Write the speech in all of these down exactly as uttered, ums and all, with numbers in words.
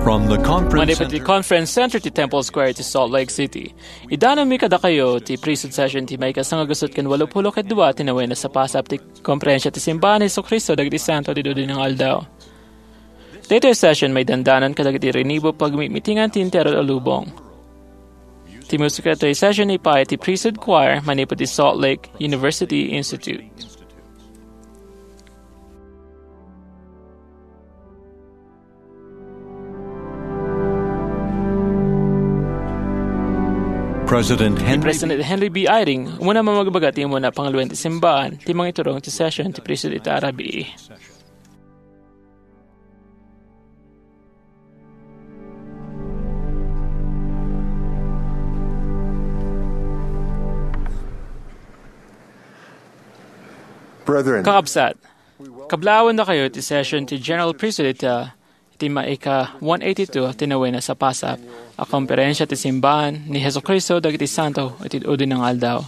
From the conference Manipud ti center. Conference Center ti Temple Square ti Salt Lake City. Idanonmi kadakayo ti priesthood session ti maikasangagusot ken walupulo ket dua ti nawena a sapasap ti Komperensya ti Simbahan ni Jesu-Cristo dagiti Santo ti Dudi nga Aldaw. Daytoy a session maidandanan kadagiti rinibo pagmimitingan ti entero a lubong. Ti musika daytoy a session ipay ti Priesthood Choir manipud ti Salt Lake University Institute. President Ni Henry President Henry B. Eyring, umuna mamagbaga ti umuna pangaluen ti simbahan, ti mangiturong ti session ti priesthood ita a rabii. Brethren, Kakabsat, kablaawen dakayo ti session ti General Priesthood ita iti maika one eighty-two ti nawena a sapasap a Komperensya ti Simbahan ni Jesu-Cristo dagiti Santo iti Udinang Aldaw.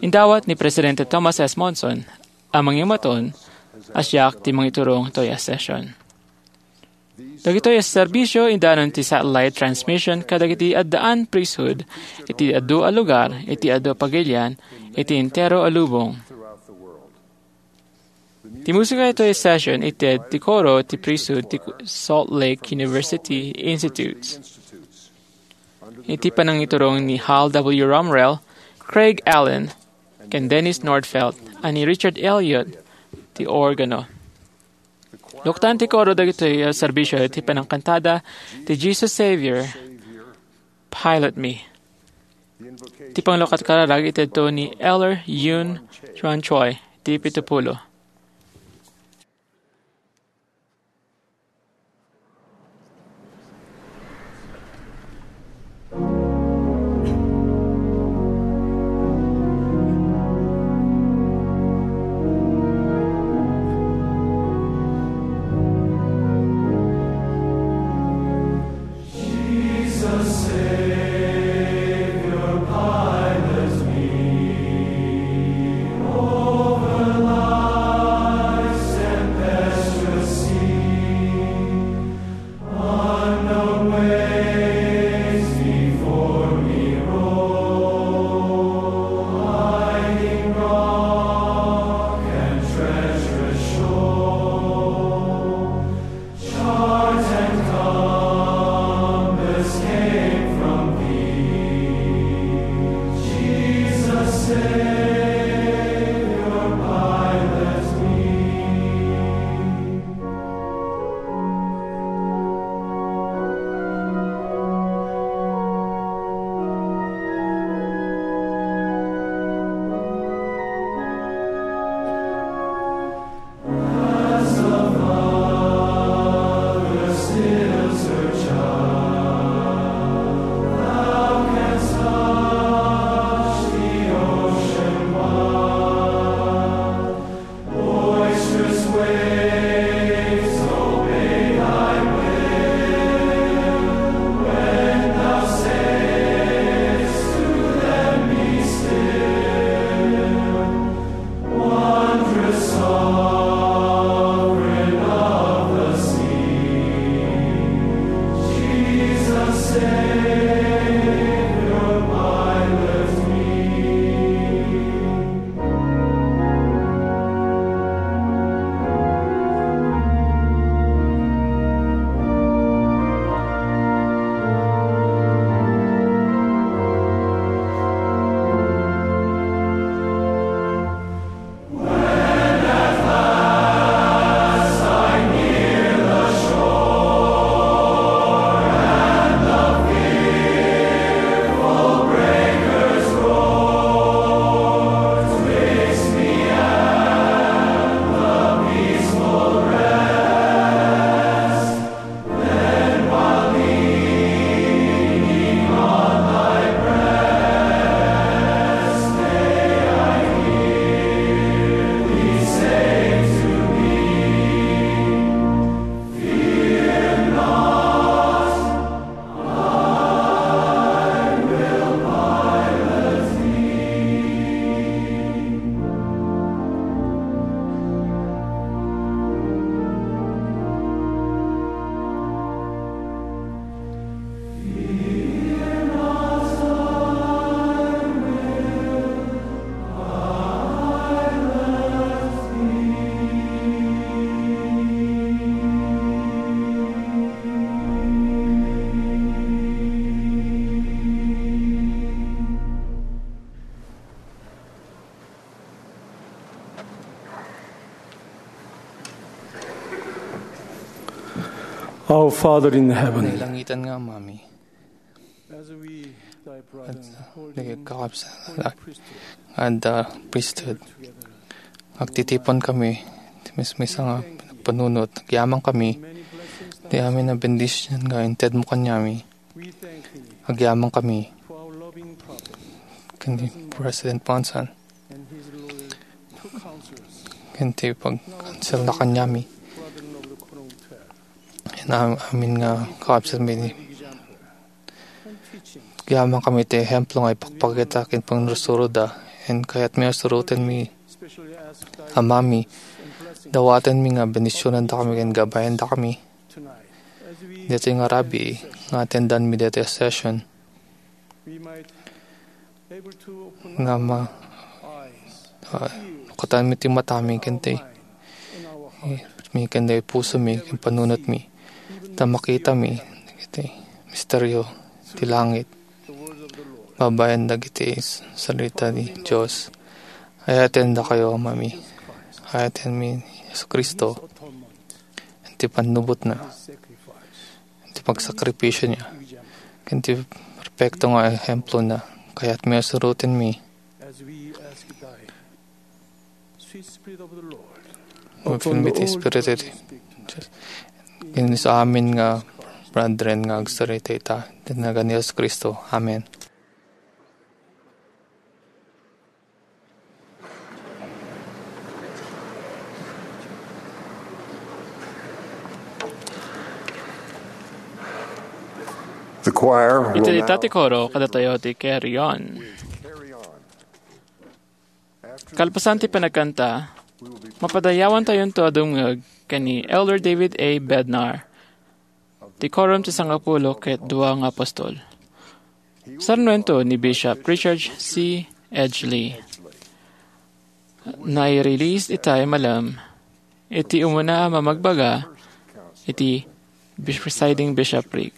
Indawat ni Presidente Thomas S. Monson a mangimaton a siak ti mangiturong toy a session. Dagitoy a serbisio idanon ti satellite transmission kadagiti addaan priesthood iti adu a lugar iti adu a pagilian iti entero a lubong. Ti musika itoy session ited ti koro ti priesthood ti Salt Lake University Institutes. Iti panangiturong ni Hal W. Rumrell, Craig Allen, ken Dennis Nordfeld, a ni Richard Elliott ti organo. Luktan ti koro dagitoy a serbisio iti panangkantada ti Jesus Savior, Pilot Me. Ti panglukatkararag itedto ni Elder Yun Chuan Choi, ti pitupulo. Our Father in heaven, nailangitan nga Amami. As we, thy brother, at holding nagkakapsala priesthood, and the priesthood, agtitipon kami, ti mismisa nga panunot, agyaman kami, ti amin a bendisyon nga intedmo kaniami. We thank thee, agyaman kami, for our loving prophet, ken ni President Monson, and his loyal co-counselors, ken ti pagkansel na kaniami, brother Noble Corona. Ken am-, amin nga kakabsat mi, agyaman kami ti ehemplo nga ipakpakita ken pangsursuroda. Ken kayatmi a surotenmi, Amami, dawatenmi nga bendisionandakami ken gabayendakami. Daytoy nga rabii nga atendanmi daytoy a session, nga ma-, ah, nukatanmi ti matami ken ti, eh, mi ken ti pusomi ken panunotmi. Ta makitami dagiti misterio ti langit. Babaen dagiti s-, salita ti Dios. Ayatendakayo, Amami. Ayatenmi ni Jesu-Cristo. Iti pannubotna. Iti pagsakripisio niya, ken ti perpekto nga ehemplo na, kayatmi a surotenmi. As we ask thy sweet Spirit of the Lord. Upon the Espiritu ti Dios. Ken sa amin nga brethren nga agsarita ita, iti nagan ni Jesus Cristo. Amen. The choir will iti now dita ti koro, kadatayo ti Carry On. Kalpasan ti panagkanta, mapadayawantayonto a dumngeg ken ni Elder David A. Bednar, ti Quorum ti Sangapulo ket Dua nga Apostol. Sarnoento ni Bishop Richard C. Edgley. Nai-release itay malem iti umuna a mamagbaga iti bis-, presiding bishopric.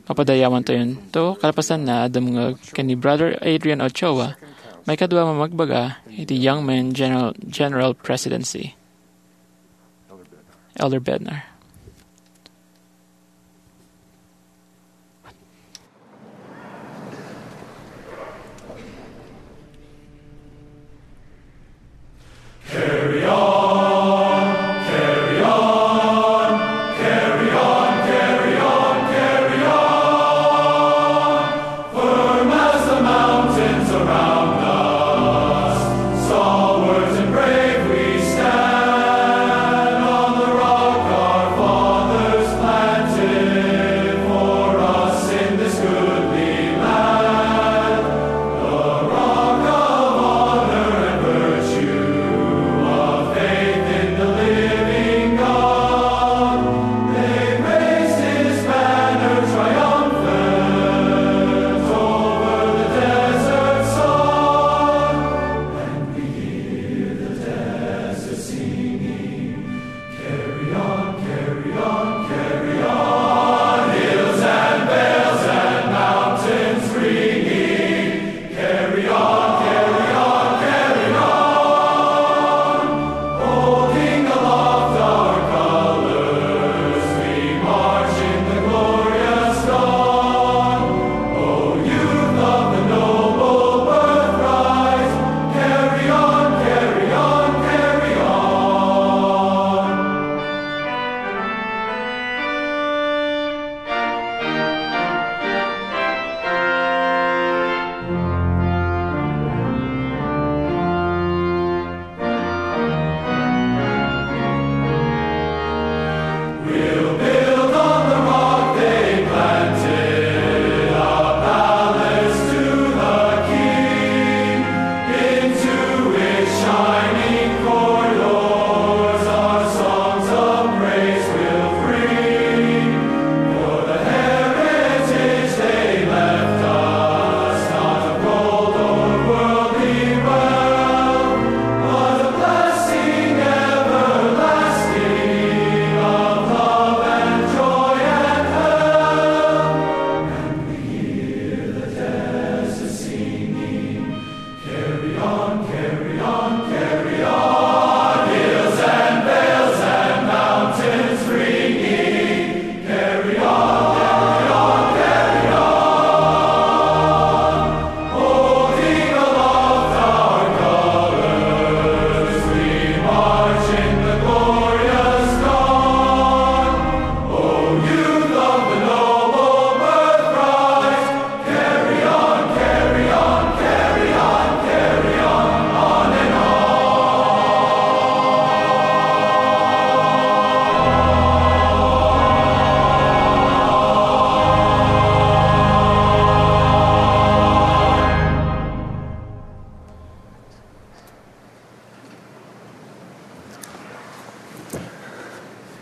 Mapadayawantayonto kalpasanna a dumngeg ken ni Brother Adrian Ochoa, maikadua a mamagbaga iti Young Men General, General Presidency. Elder Bednar.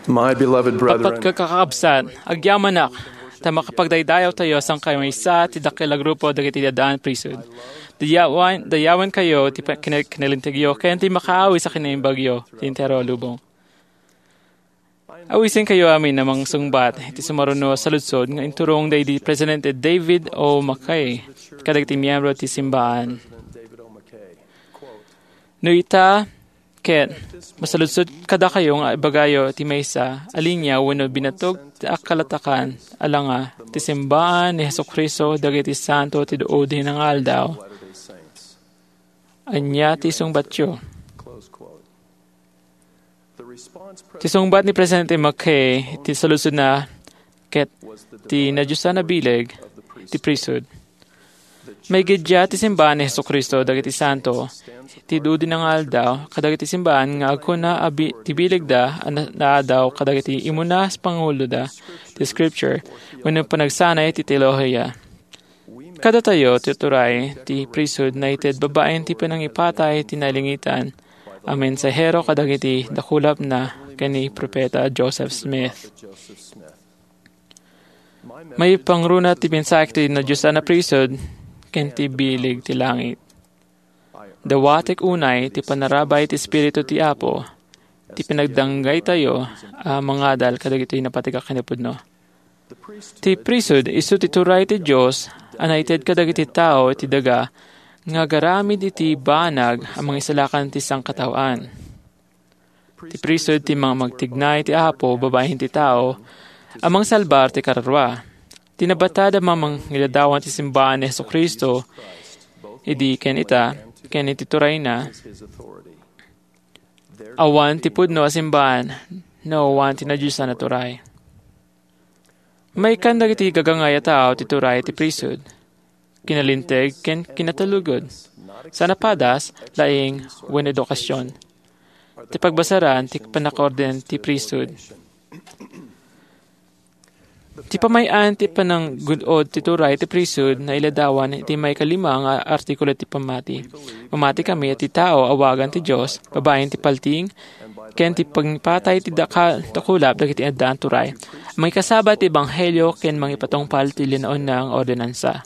My beloved brethren, Pagpagkakabsat, agyamanak, ta makapagdaydayawtayo a sangkayo maysa ti dakkel a grupo dagiti addaan priesthood. Dayawan, dayawankayo ti pa-, kine-, kinalintegyo ken ti makaawis a kinaimbagyo ti entero a lubong. Awisenkayo amin a mangsungbat iti sumaruno a saludsod nga inturong daydi Presidente David O. McKay kadagiti miyembro ti simbaan. No ita, ket masaludsod kadakayo nga ibagayo ti maysa a linia wenno binatog ti akkalatakan a langa ti simbaan ni Jesu-Cristo dagiti santo ti duudi nga aldaw. Ania ti sungbatyo? Ti sungbat ni Presidente McKay iti saludsodna ket ti nadiosan a bileg ti priesthood. Maigiddia ti simbaan ni Jesu-Cristo dagiti santo ti duudi nga aldaw kadagiti simbaan nga agkuna a bi-, ti bilegda a na-, naadaw kadagiti immuna a panguloda ti Scripture wenno panagsanay ti teolohiya. Kadatayo ti turay ti priesthood naited babaen ti panangipatay ti nailangitan a mensahero kadagiti dakulapna ken ni Profeta Joseph Smith. Maipangruna ti mensahe ti nadiosan a priesthood ken ti bileg ti langit. Dawatek unay ti panarabay ti Espiritu ti Apo, ti pinagdanggaytayo a mangadal kadagitoy napateg a kinapudno. Ti priesthood isu ti turay ti Dios a naited kadagiti tao iti daga nga agaramid iti banag a mangisalakan ti sangkataoan. Ti priesthood ti mamagtignay ti Apo babaen ti tao a mangsalbar ti kararua. Ti nabatad a mamangiladawan ti simbaan ni Jesu-Cristo idi ken ita ken iti turayna, awan ti pudno a simbaan no awan ti nadiosan a turay. Maikan dagiti gagangay a tao ti turay ti priesthood, kinalinteg ken kinatulogod. Saan a padas, laing, wenno edukasion. Ti pagbasaran ti pannakaorden ti priesthood. Ti pamay-an ti pananggun-od ti turay ti priesthood nailadawan iti maikalima nga artikulo ti pammati. Mamati kami iti tao awagan ti Dios, babaen ti paltiing, ken ti pangipatay ti daka-, dakulap dagiti addaan turay. Mangikasaba ti ebanghelio ken mangipatungpal ti linaonna nga ordinansa.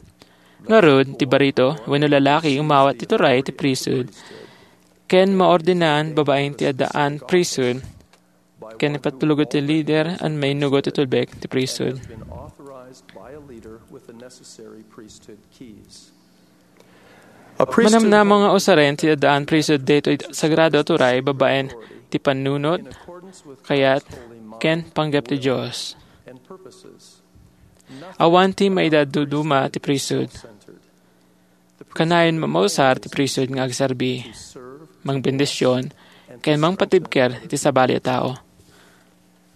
Ngarud, ti barito wenno lalaki umawat ti turay ti priesthood ken maordinan babaen ti addaan priesthood ken ipatulog ti leader a mainnugot ti tulbek ti priesthood. Manamnama nga usaren ti addaan priesthood daytoy sagrado a turay babaen ti pannunot, kayat, ken panggep ti Dios. Awan ti maidaduduma ti priesthood. Kanayon mamausar ti priesthood nga agserbi, mangbendision, ken mangpatibker iti sabali a tao.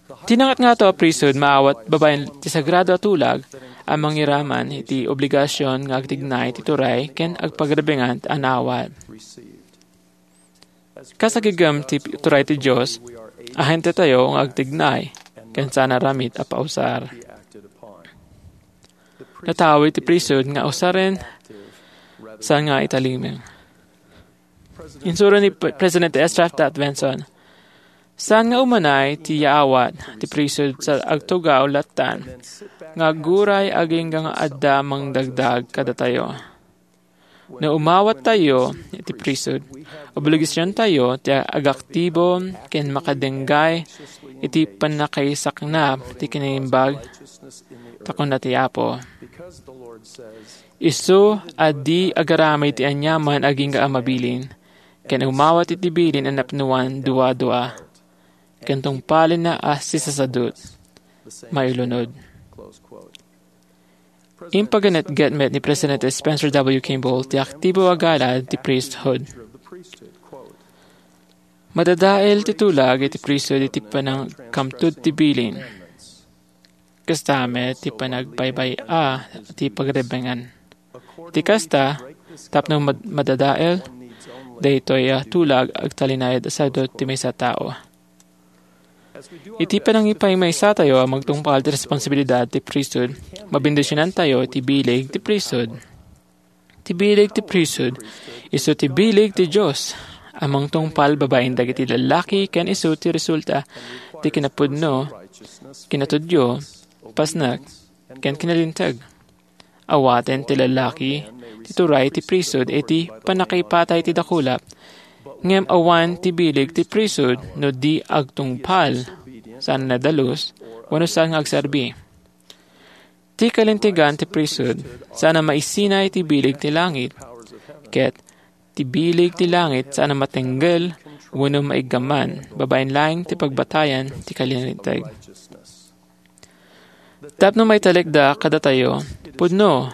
Ti nangatngato a priesthood maawat babaen ti sagrado a tulag a mangiraman iti obligasion nga agtignay ti turay ken agpagrebengan a naawat. Kas agigem ti turay ti Dios, ahentetayo nga agtignay ken saan a ramid a pausar. Natawi ti priesthood nga usaren saan nga italimeng. Insuro ni Pre-, Presidente Ezra Taft Benson, "Saan nga umanay ti yaawat ti priesthood sa agtugaw lattan nga agguray agingga nga adda mangdagdag kadatayo." No umawattayo iti priesthood, obligasiontayo ti agaktibo ken makadengngay iti pannakaisaknap ti kinaimbag, ta kuna ti Apo, "Isu a di agaramid ti aniaman agingga a mabilin, ken umawat iti bilin a napnoan dua-dua, ken tungpalenna a sisasadut, mailunod." Impaganetget met ni Presidente Spencer W. Kimball ti aktibo a galad ti priesthood. Madadael ti tulag iti priesthood iti panangkamtud ti bilin. Kasta met ti panagbaybay-a ti pagrebengan. Iti kasta, tapno mad-, madadael, daytoy a tulag agtalinaed a sadut ti maysa a tao. Iti panangipaymaysatayo a magtungpal ti responsibilidad ti priesthood, mabendisionantayo iti bileg ti priesthood. Ti bileg ti priesthood, isu ti bileg ti Dios a mangtungpal babaen dagiti lallaki ken isu ti resulta Ti kinapudno, kinatudyo, pasnek, ken kinalinteg. Awaten ti lalaki ti turay ti priesthood iti pannakaipatay ti dakulap, ngem awan ti bileg ti priesthood no di agtungpal, saan a nadalus, wenno saan nga agserbi. Ti kalintegan ti priesthood saan a maisina iti bileg ti langit, ket ti bileg ti langit saan a matenggel wenno maiggaman babaen laeng ti pagbatayan ti kalinteg. Tapno maitalekda kadatayo, pudno,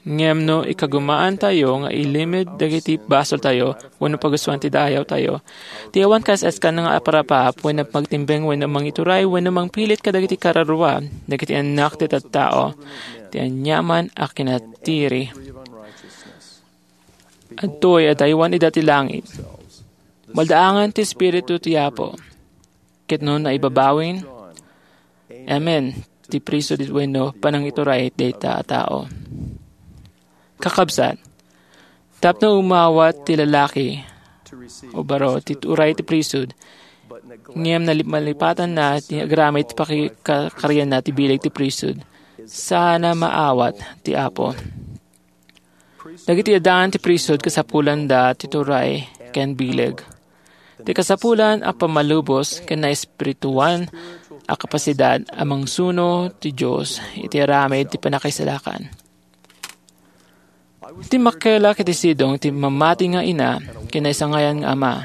ngem no ikagumaantayo nga ilimed dagiti basoltayo wenno pagustuan ti dayawtayo, ti awan kas-askan nga aparapaap wenno magtimbeng wenno mangituray wenno mangpilit kadagiti kararua, dagiti annak ti tattao, ti aniaman a kinatiri. Adtoy a daywan ida ti langit. Maldaangan ti Espiritu ti Apo. Ket no naibabawin, amen ti priesthood wenno panangituray dayta a tao. Kakabsat, tapno umawat ti lalaki o baro ti turay ti priesthood, ngem nalip-, malipatanna ti agraman ti pakikarianna ti bileg ti priesthood, saan a maawat ti Apo. Dagiti addaan ti priesthood kasapulanda ti turay ken bileg. Ti kasapulan a pammalubos ken naespirituan a kapasidad a mangsuno ti Dios iti aramid ti pannakaisalakan. Timmakkelak iti sidong ti mamati nga ina ken naisangayan nga ama.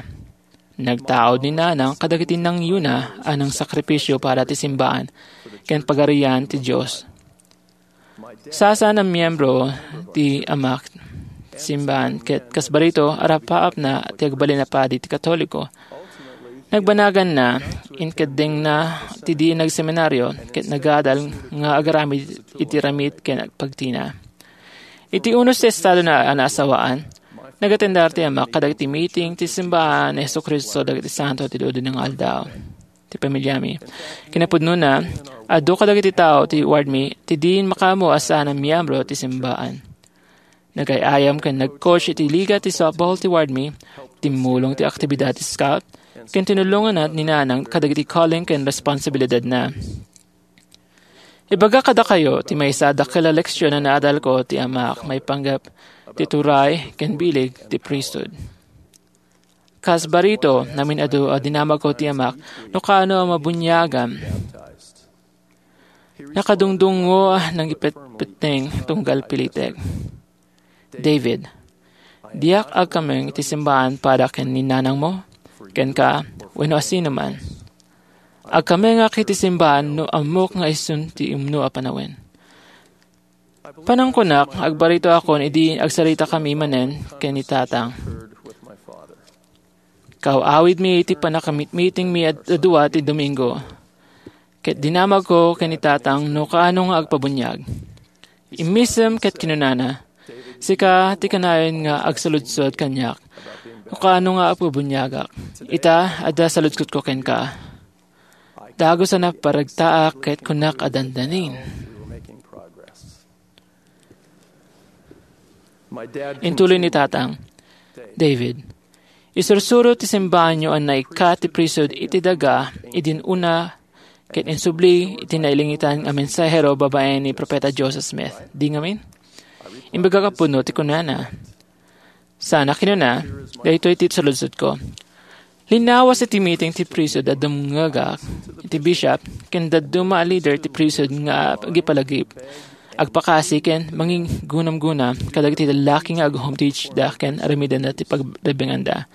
Nagtaud ni nanang kadagiti nangyuna a nangsakripisio para ti simbaan ken pagarian ti Dios. Sasaan a miyembro ti amak ti simbaan ket kas barito, arapaapna ti agbalin a padi ti Katoliko. Nagbanaganna, inkeddengna ti di nagseminario ket nagadal nga agaramid iti ramid ken pagtina. Iti unos ti estadona a naasawaan, nagatendar ti amak kadagiti meeting ti simbaan ni Jesu-Cristo dagiti Santo ti Dudun nga Aldaw ti pamilyami. Kinapudnona, adu kadagiti tao ti wardmi ti din makaammo a saan a miyembro ti simbaan. Nagay-ayam ken nag-coach iti liga ti softball ti wardmi, timmulong ti aktibidad ti scout, ken tinulonganna ni nanang kadagiti calling ken responsibilidadna. Ibaga kadakayo ti maysa a dakkel a leksion a naadalko ti amak maipanggep ti turay ken bileg ti priesthood. Kas barito, namin-adu a dinamagko ti amak no kaano a mabuniagam. Nakadungdungngo a nangipetpetteng tunggal pilitek. David, diak agkameng iti simbaan pada ken ni nanangmo, kenka, wenno asinoman. Agkamengak iti simbaan no ammok nga isun ti umno a panawen. Panangkunak, agbaritoakon idi agsaritakami manen ken ni tatang. Kaaw-awidmi iti pannakamitmitingmi a dua ti Domingo, ket dinamagko ken ni tatang no kaano nga agpabuniag. Immisem ket kinunana, "Sika ti kanayon nga agsaludsod kaniak no kaano nga agpabuniagak. Ita, adda saludsodko kenka. Dagus a naparagtaak ket kunak a dandanin." Intuloy ni tatang, "David, isursuro ti simbaanyo a naikkat ti priesthood iti daga idin una ket insubli iti nailangitan a mensahero babaen ni Profeta Joseph Smith. Di ngamin?" Imbagak a pudno ti kunana. Saan a kinuna, daytoy ti saludsodko. Linnawas iti meeting ti priesthood a dumngegak iti bishop ken dadduma a leader ti priesthood nga agipalagip, agpakasi ken mangiggunamguna kadagiti lallaki nga ag-home teach da ken aramidenna ti pagrebenganda.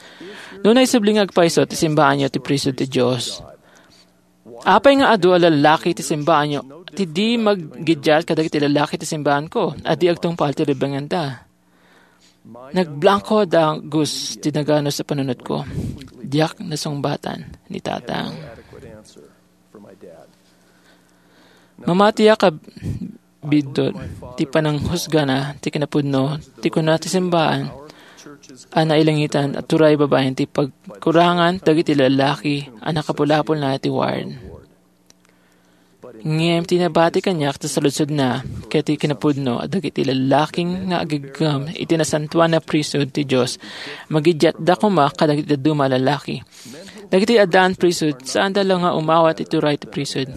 No naisubli nga agpayso ti simbaanyo ti priesthood ti Dios, apay nga adu a lallaki ti simbaanyo ti di maggiddiat kadagiti lallaki ti simbaanko a di agtungpal ti rebenganda? Nagblangko a dagus ti naganus a panunotko. Diak nasungbatan ni tatang. Mamatiak a biddut ti pananghusgana ti kinapudno ti kuna ti simbaan a nailangitan a turay babaen ti pagkurangan dagiti lallaki a nakapulapulna iti ward. Ngem ti nabati kaniak ti saludsodna ket ti kinapudno a dagiti lallaki nga agigem iti nasantoan a priesthood ti Dios, magidiatda koma kadagiti dadduma a lallaki. Dagiti addaan priesthood, saanda la nga umawat iti turay ti priesthood.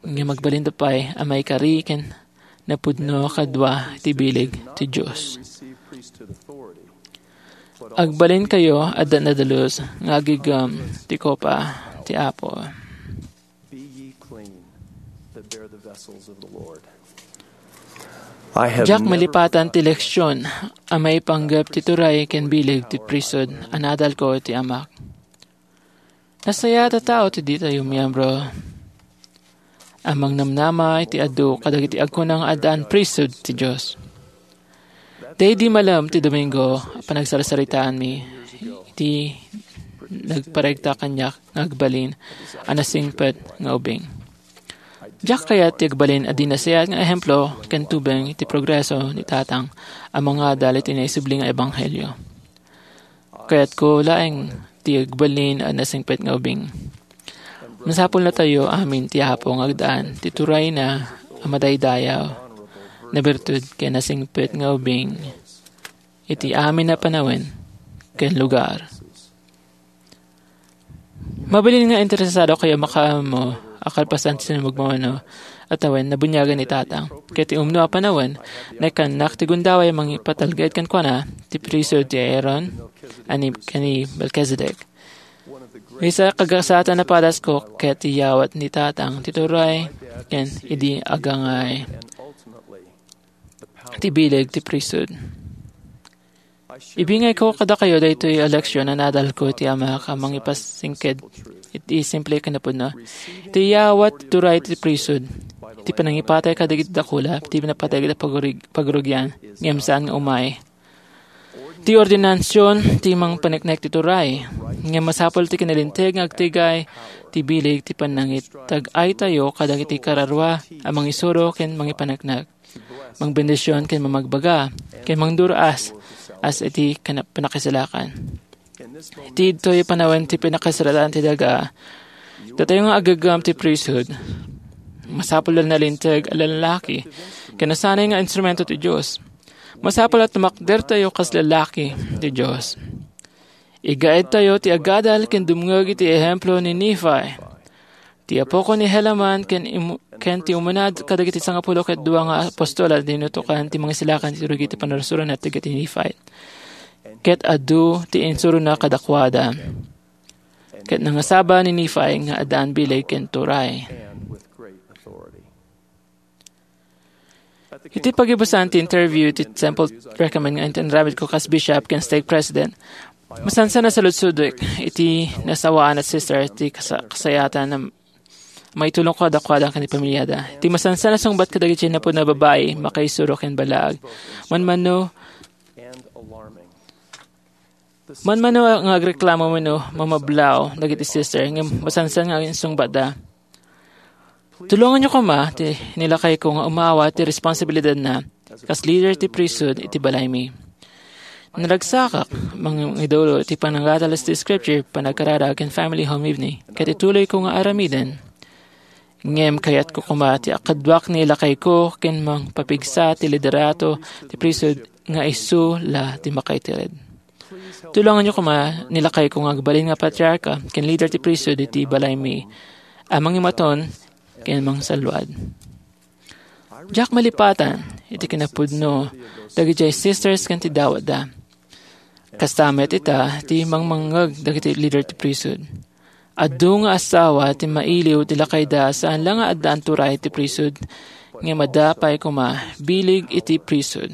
Ngem agbalinda pay a maikari ken napudno kadua ti bileg ti Dios. Agbalinkayo, adda nadalus nga agigem ti kopa ti Apo. Be ye clean that bear the vessels of the Lord. I have Diak never malipatan ti leksyon a maipanggep ti turay ken bileg ti priesthood a nadalko iti Amak. Nasayaat a tao ti ditayo miyembro a mangnamnama iti adu kadagiti agkuna nga addaan priesthood ti Dios. Daydi malem ti Domingo a panagsarsaritaanmi iti nagparegta kaniak nga agbalin a nasingpet nga ubing. Diak kayat ti agbalin a di nasayaat nga ehemplo ken tubeng iti progreso ni Tatang a mangadal iti naisubli nga ebanghelio. Kayatko laeng ti agbalin a nasingpet nga ubing. Masapulnatayo amin ti Apo nga agdaan ti turayna a madaydayaw, nabertud ken nasingpet nga ubing iti amin a panawen ken lugar. Mabalin nga interesado kayo makaammo a kalpasan ti sinumagmamano a tawen nabuniagan ni Tatang. Ket ti umno a panawen, naikannak ti gundaway a mangipatalged kenkuana ti priesthood ti Aaron a ni, ken ni Melchizedek. Maysa a kagasatan a padasko ket ti yawat ni Tatang ti turay ken idi agangay ti bileg ti priesthood. Ibingayko kadakayo daytoy a leksyon a nadalko iti Amak a mangipasingked iti simple a kinapudno. Iti yawat ti turay ti priesthood, iti panangipatay kadagiti dakula, iti napateg a pagrugi-, pagrugian, ngem saan nga umay. Ti ordinansion ti mangpaneknek ti turay, ngem masapul ti kinalinteg nga agtigay ti bileg ti panangitag-aytayo kadagiti kararua a mangisuro ken mangipaneknek, mangbendision ken mamagbaga, ken mangdur-as as iti kana-, pannakisalakan. Iti ditoy panawen ti pannakisalakan ti daga, datayo nga aggaggam ti priesthood, masapul a nalinteg a lallaki ken nasanay nga instrumento ti Dios. Masapul a tumakdertayo kas lallaki ti Dios. Igaedtayo ti agadal ken dumngeg iti ehemplo ni Nephi, ti apoko ni Helaman ken imu-, ken ti umuna kadagiti sangapulo ket dua nga apostol a dinutokan ti mangisalakan ti rugi ti pannursurona ti dagiti Nephite. Ket adu ti insurona kadakuada. Ket nangasaba ni Nephi nga addaan bileg ken turay. Iti pagibusan ti interview ti temple recommend nga intin-, inaramidko kas bishop ken stake president, masansan a saludsodek iti nasawaan a sister ti kasa-, kasayaatan a maitulong kadakuada ken ni pamiliada. Iti masansan a sungbat kadagiti napudno a babai, makaisuro ken ballaag. Manmano, manmano nga agreklamo wenno mamablaw dagiti sister, ngem masansan nga insungbatda. Tulonganyo koma ti nilakayko nga umawat ti responsibilidadna kas leader ti priesthood iti balaymi. Naragsakak mangidulo iti panangadalas ti scripture, panagkararag ken family home evening, ket ituloyko nga aramiden. Ngem kayatko koma ti akaduak ni lakayko ken mangpapigsa ti liderato ti priesthood nga isu la ti makaiteded. Tulonganyo koma ni lakayko nga agbalin nga patriarka ken leader ti priesthood iti balaymi a mangimaton ken mangsalluad. Diak malipatan iti kinapudno dagiti sisters ken ti dawatda. Kasta met ita ti mangmangngeg dagiti leader ti priesthood. Adu nga asawa ti mailiw ti lakayda saan la nga addaan turay ti priesthood, ngem adda pay koma bileg iti priesthood.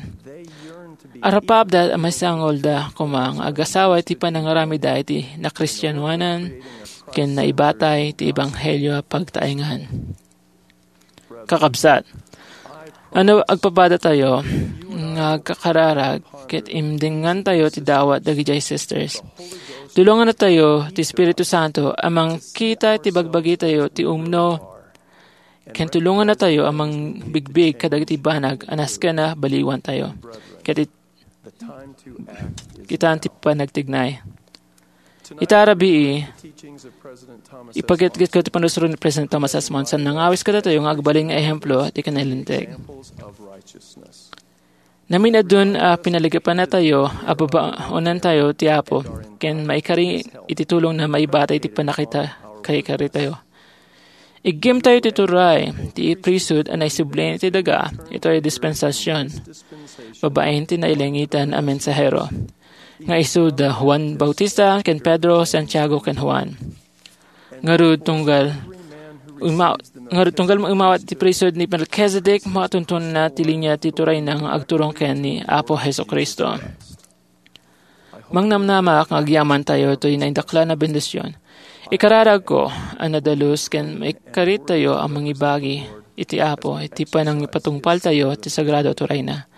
Arapapda a masangolda koma nga agasawa iti panangaramidda iti nakristianoanan ken naibatay ti ebanghelio a pagtaengan. Kakabsat, ano agpapadatayo nga agkakararag ket imdengantayo ti dawat dagiti sisters? Tulongannatayo ti Espiritu Santo a mangkita iti bagbagitayo ti umno, ken tulongannatayo a mangbigbig kadagiti banag a nasken a baliwantayo ket it-, kitaan ti panagtignay. Ita a rabii, ipagitgitko ti pannursuro ni President Thomas S. Monson. Nangawis kadatayo nga agbalin nga ehemplo ti kinalinteg. Namin-adun a pinaligipannatayo a babaonantayo ti Apo ken maikari iti tulongna maibatay ti pannakita-, kaikaaritayo. Iggimtayo ti turay ti priesthood a naisubli ti daga itoy dispensasion babaen ti nailangitan a mensahero, nga isu da Juan Bautista ken Pedro, Santiago ken Juan. Ngarud, tunggal uma-, ngarud, tunggal maumawat ti priesthood ni Melchizedek, matunton na ti linia ti turayna nga agturong ken ni Apo Jesu-Cristo. Mangnamnamak nga agyamantayo toy naindaklan a bendision. Ikararagko a nadalus ken maikaaritayo a mangibagi iti Apo iti panangipatungpaltayo ti sagrado a turayna.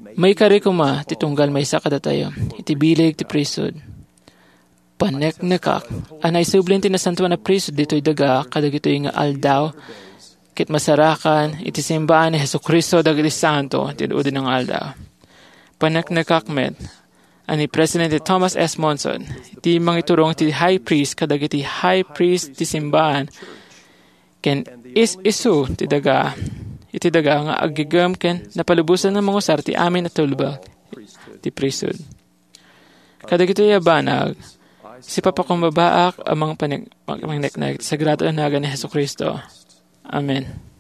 Maikari koma ti tunggal maysa kadatayo iti bileg ti priesthood. Paneknekak a naisubli ti Nasantoan a Priesthood ditoy daga kadagitoy nga aldaw ket masarakan iti simbaan ni Jesu-Cristo dagiti santo ti udi nga aldaw. Paneknekak met a ni Presidente Thomas S. Monson ti mangiturong ti High Priest kadagiti High Priest ti simbaan ken is-isu ti daga, iti daga nga aggigem ken napalubosan nga mangusar ti amin a tulbek ti priesthood. Kadagitoy a banag, sipapakumbabaak a mangpanik-, mangpaneknek ti sagrado a nagan ni Jesu-Cristo. Amen.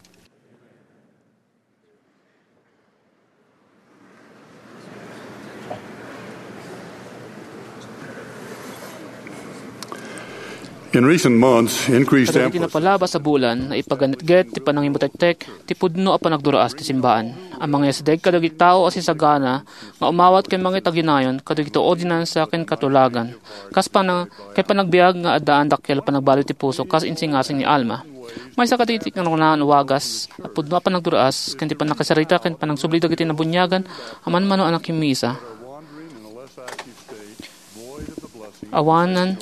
In recent months, increased Kadagiti emphasis napalabas a bulan, naipaganetget ti panangimutektek ti pudno a panagduraas ti simbaan. Amangyasdeg kadagiti tao a sisagana nga umawat ken mangitaginayon kadagiti ordinansa ken katulagan. Kas pana-, ken panagbiag nga addaan dakkel a panagbaliw ti puso kas insingasing ni Alma. Maysa kadagiti kangrunaan a wagas a pudno a panagduraas ken ti pannakasarita ken panagsubli dagiti nabuniagan a manmano a nakimmisa. Awanan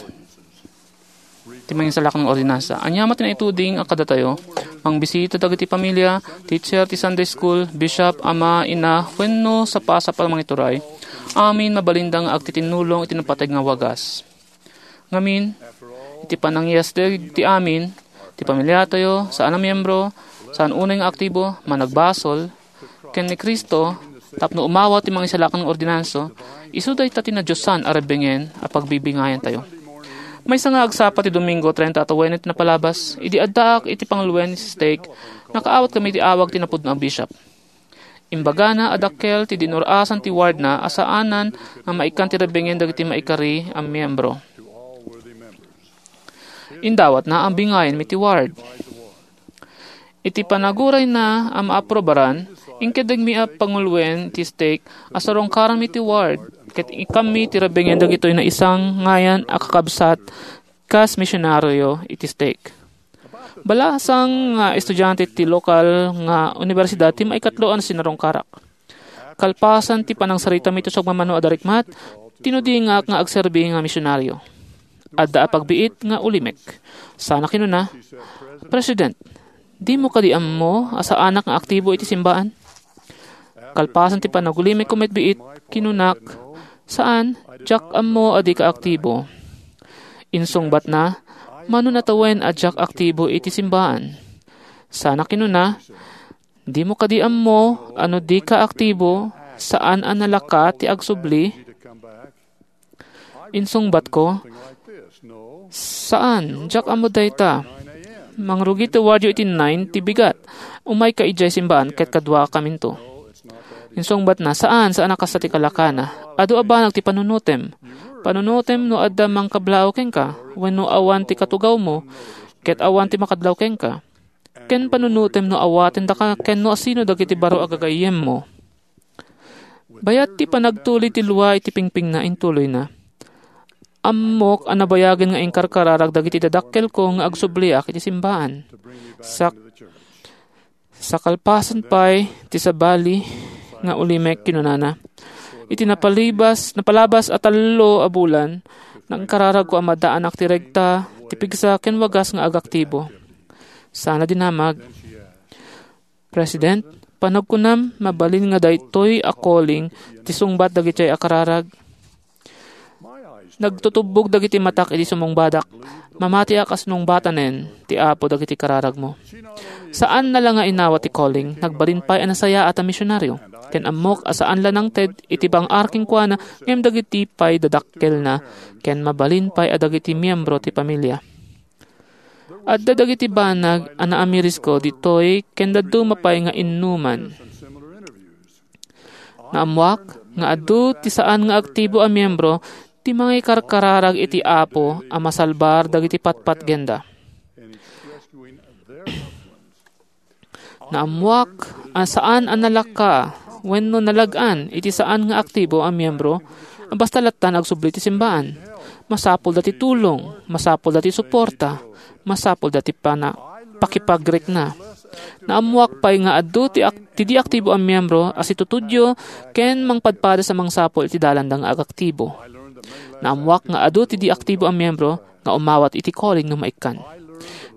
ti mangisalakan nga ordinansa. Ania met ti naituding a kadatayo? Mangbisita dagiti pamilia, teacher ti Sunday school, bishop, ama, ina, wenno sapasapa a mangituray. Amin mabalinda nga agtitinnulong iti napateg nga wagas. Ngamin, iti panangyasdeg ti amin, ti pamiliatayo, saan a miembro, saan unay nga aktibo, managbasol, ken ni Cristo, tapno umawat ti mangisalakan nga ordinansa, isu dayta ti nadiosan a rebbengen a pagbibingayantayo. Maysa nga agsapa ti Domingo, treinta a tawen ti napalabas, idi addaak iti panguloen ti stake, nakaawat kami ti awag ti napudno a bishop. Imbagana a dakkel ti dinur-asan ti wardna a saanan nga maikkan ti rebbengen dagiti maikari a miembro. Indawatna a bingayanmi ti ward. Iti panagurayna a maaprobaran, inkeddegmi a panguloen ti stake a sarungkaranmi ti ward, ket ikkanmi ti rebbengen dagitoy naisangayan a kakabsat kas misionario iti stake. Balasang nga estudiante ti lokal nga unibersidad ti maikatlo a sinarungkarak. Kalpasan ti panangsaritami ti sumagmamano a darikmat, tinudingak nga agserbi nga misionario. Adda a pagbiit nga ulimek. Sana kinuna, "President, dimo kadi ammo a saanak nga aktibo iti simbaan?" Kalpasan ti panagulimekko met biit, kinunak, "Saan, diak ammo a dika aktibo." Insungbatna, "Mano natawen a diak aktibo iti simbaan?" Sana kinuna, "Dimo kadi ammo a no dika aktibo, saan a nalaka ti agsubli?" Insungbatko, "Saan, diak ammo dayta. Mangrugi ti wardyo iti nine ti bigat. Umayka idiay simbaan ket kaduakaminto." Insungbatna, "Saan, saan a kasta ti kalakana. Adu a banag ti panunutem. Panunutem no adda mangkablaw kenka, wenno awan ti katugawmo, ket awan ti makadlaw kenka. Ken panunutem no awaten daka ken no asino dagiti baro a gagayyemmo." Bayat ti panagtulid ti lua iti pingpingna, intuloyna, "Ammok a nabayagen nga inkarkararag dagiti dadakkelko nga agsubliak iti simbaan. Sak-, sakalpasan pay ti sabali nga ulimek," kinunana. "Iti napalibas, napalabas a tallo a bulan, nangkararagko a maddaanak ti regta, ti pigsa, ken wagas nga agaktibo." Sana dinamag, "President, panagkunam, mabalin nga daytoy a calling ti sungbat dagiti a kararag?" Nagtutubbog dagiti matak idi sumungbadak. Mamatiak a sinungbatanen ti Apo dagiti kararagmo. Saanna la nga inawat ti calling, nagbalin pay a nasayaat a misionaryo. Ken ammok a saan la nangted iti bang-ar kenkuana, ngem dagiti pay dadakkelna, ken mabalin pay a dagiti miyembro ti pamilia. Adda dagiti banag a naamirisko ditoy ken dadduma pay nga innuman. Naammuak nga adu ti saan nga aktibo a miyembro ti mangikarkararag iti Apo a masalbar dagiti patpatgenda. Naammuak a saan a nalaka wenno nalag-an iti saan nga aktibo a miyembro a basta latta nga agsubli ti simbaan. Masapulda ti tulong, masapulda ti suporta, masapulda ti pana-, pakipagrikna. Naammuak pay nga adu ti ak-, ti di aktibo a miyembro a situtudyo ken mangpadpadas a mangsapul iti dalanda nga agaktibo. Naammuak nga adu ti di aktibo a miyembro nga umawat iti calling no maikkan.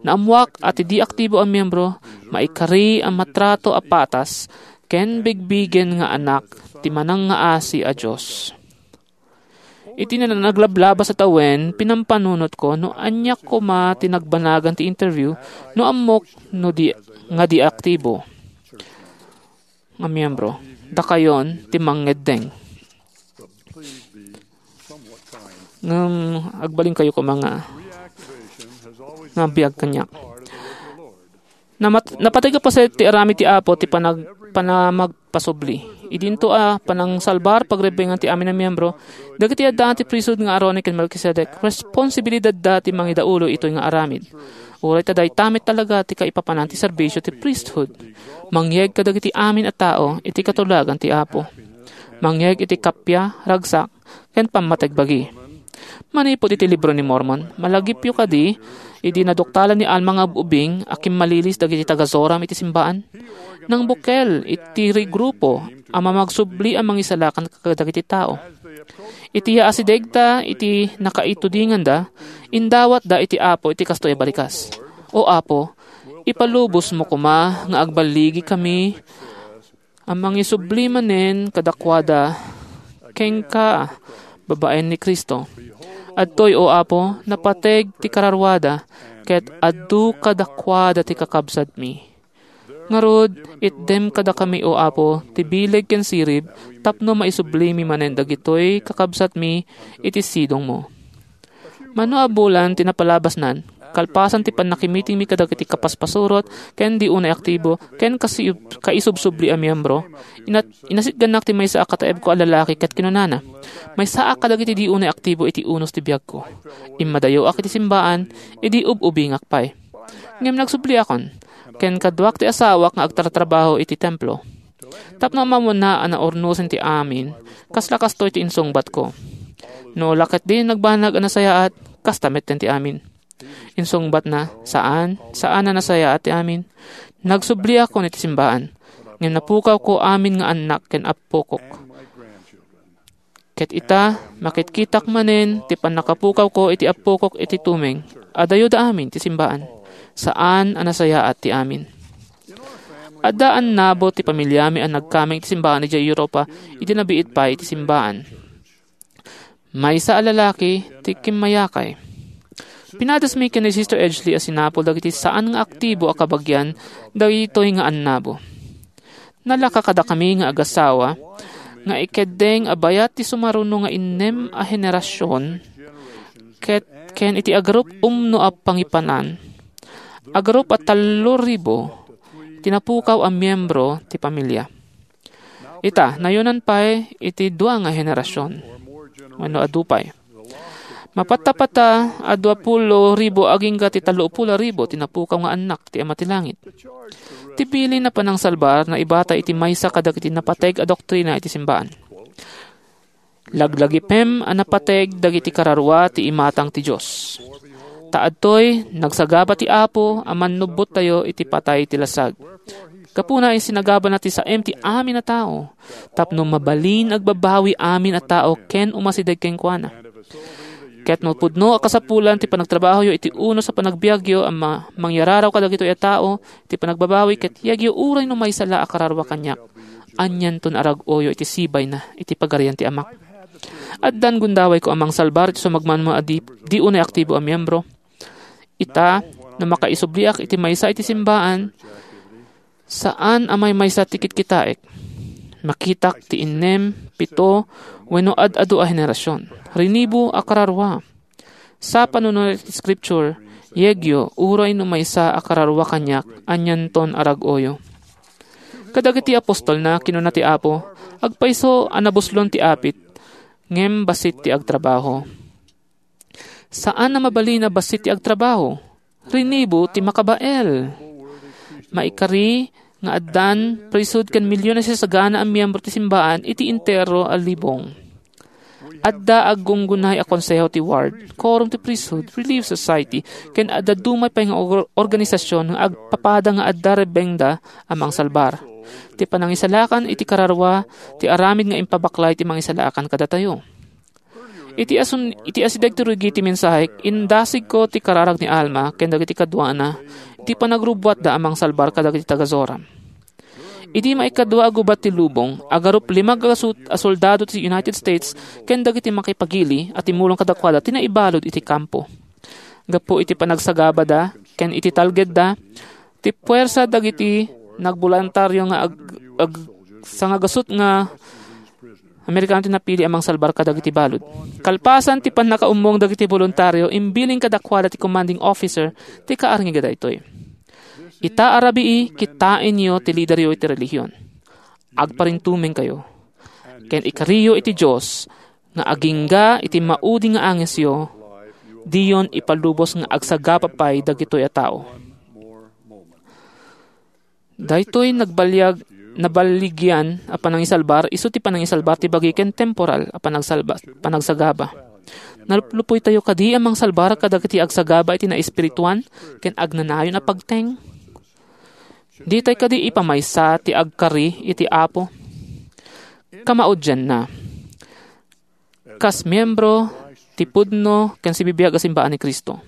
Naammuak a ti di aktibo a miyembro maikari a matrato a patas ken bigbigen nga anak ti manangngaasi a Dios. Iti nanaglablabas a tawen, pinampanunotko no ania koma ti nagbanagan ti interview no ammok no di, nga di aktibo nga miyembro. Dakayon ti mangngeddeng. Ngem agbalinkayo koma nga, nga biag kaniak. Namat-, napateg a paset ti aramid ti Apo ti panag-, panamagpasubli. Idinto a panangsalbar pagrebbengan ti amin a miyembro, dagiti addaan ti priesthood nga Aaronic ken Melchizedek, responsibilidadda ti mangidaulo itoy nga aramid. Uray ta dayta met talaga ti kaipapanan ti serbisio ti priesthood. Mangyeg kadagiti amin a tao iti katulagan ti Apo. Mangyeg iti kappia, ragsak, ken pammategbagi. Manipud iti Libro ni Mormon, malagipyo kadi idi naduktalan ni Alma nga ub-ubing a kimmalilis dagiti taga-Zoram iti simbaan? Nangbukel iti regrupo a mamagsubli a mangisalakan kadagiti tao. Iti yaasidegda iti nakaitudinganda, indawatda iti Apo iti kastoy a balikas. O Apo, ipalubosmo koma nga agballigikami a mangisubli manen kadakuada kenka babaen ni Cristo. Adtoy, O Apo, napateg ti kararuada, ket adu kadakuada ti kakabsatmi. Ngarud, itdem kadakami, O Apo, ti bileg ken sirib tapno maisublimi manen dagitoy kakabsatmi iti sidongmo. Mano a bulan ti napalabasnan, kalpasan ti pannakimitingmi kadagiti kapaspasurot ken di unay aktibo ken kasiub-, kaisubsubli a miyembro, inat-, inasitgannak ti maysa a kataebko a lalaki ket kinunana, "Maysaak kadagiti di unay aktibo iti unos ti biagko. Immadayoak iti simbaan idi ub-ubingak pay. Ngem nagsubliakon, ken kaduak ti asawak nga agtartrabaho iti templo. Tapno ammoanna a naurnosen ti amin, kasla kastoy ti insungbatko. No la ketdi nagbanag a nasayaat, kasta metten ti amin." Insungbatna, "Saan, saan a nasayaat ti amin. Nagsubliakon iti simbaan, ngem napukawko amin nga annak ken appokok. Ket ita, makitkitak manen ti pannakapukawko iti appokok iti tumeng. Adayoda amin ti simbaan. Saan a nasayaat ti amin." Adda annabo ti pamiliami a nagkameng iti simbaan idiay Europa idi nabiit pay iti simbaan. Maysa a lalaki ti kimmayakay. Pinadasmi ken ni Sister Edgley a sinapul dagiti saan nga aktibo a kabagian dagitoy nga annabo. Nalaka kadakami nga agasawa nga ikeddeng a bayat ti sumaruno nga innem a henerasion ket ken iti agarup umno a pangipanan, agarup a tallo ribu ti napukaw a miembro ti pamilia. Ita, nayonan pay iti dua nga henerasion wenno adu pay. Mapattapata a dua pulo ribu agingga ti tallo pulo ribu ti napukaw nga annak ti Ama ti Langit. Ti bilin a panangsalbar naibata iti maysa kadagiti napateg a doktrina iti simbaan. Laglagipem a napateg dagiti kararua ti imatang ti Dios. Ta adtoy, nagsagaba ti Apo a mannubbottayo iti patay ti lasag. Gapuna, isinagabana ti saem ti amin a tao, tapno mabalin agbabawi amin a tao ken umasideg kenkuana. Ket no pudno a kasapulan ti panagtrabahoyo iti unos a panagbiagyo a ma-, mangyararaw kadagitoy a tao, ti panagbabawi ket yegyo uray no maysa la a kararua kaniak, anianton a rag-oyo iti sibayna iti Pagarian ti Amak. Addan gundawayko a mangsalbar iti sumagmamano a di, di unay aktibo a miyembro. Ita, no makaisubliak iti maysa iti simbaan, saan a maymaysa ti kitkitaek. Makitak ti innem, pito, wenno ad-adu a henerasion. Rinibo a kararua. Sa panunot iti Scripture, yegyo, uray no maysa a kararua kaniak, anianton a rag-oyo. Kadagiti apostolna, kinuna ti Apo, agpayso a nabuslon ti apit, ngem bassit ti agtrabaho. Saan a mabalin a bassit ti agtrabaho. Rinibo ti makabael. Maikari nga addan priesthood ken milyon a sasagana a miyembro ti simbaan iti entero a libong. Adda aggunggunay a konseho ti ward, quorum ti priesthood, Relief Society, ken adda dumay pay nga or-, organisasyon nga agpapada nga adda rebbengda a mangsalbar. Ti panangisalakan iti kararua ti aramid nga impabaklay ti mangisalakan kadatayo. Iti asun-, iti asideg ti rugi ti mensahek, indasigko ti kararag ni Alma ken dagiti kaduana iti panagrubbuatda a mangsalbar kadagiti taga-Zoram. Idi maikadua a gubat ti lubong, agarup lima gasut a soldado ti United States ken dagiti makipagili a timulong kadakuada ti naibalud iti kampo. Gapu iti panagsagabada ken iti talgedda, ti puwersa dagiti nagboluntario nga ag-, ag-, sangagasut nga Amerikano ti napili a mangsalbar kadagiti balud. Kalpasan ti pannakaummong dagiti boluntario, imbiling kadakuada ti commanding officer ti kaarngiga daytoy. Ita a rabii, kitaenyo ti lideryo iti relihion. Agparintumengkayo. Ken ikariyo iti Dios nga agingga iti maudi nga angesyo, diyon ipalubos nga agsagaba pay dagitoy a tao. Daytoy nagbaliag-, nabaligyan a panangisalbar, isu ti panangisalbar ti bagi ken temporal a panagsalba-, panagsagaba. Naluplupoytayo kadi a mangsalbar kadagiti agsagaba iti naespirituan ken agnanayon a pagteng? Ditay kadi ipamaysa ti agkari iti Apo? Kamaudianna, kas miembro ti pudno ken sibibiag a simbaan ni Cristo.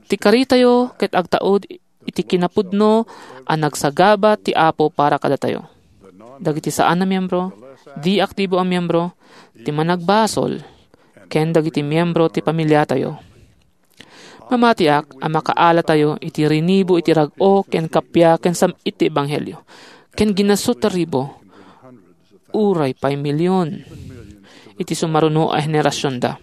Ti karitayo ket agtaud iti kinapudno a nagsagaba ti Apo para kadatayo. Dagiti saan a miembro, di aktibo a miembro, ti managbasol, ken dagiti miembro ti pamiliatayo. Mamatiak a makaalatayo iti rinibo iti rag-o ken kappia ken sam-it ti ebanghelio, ken ginasut a ribo, uray pay milion, iti sumaruno a henerasionda.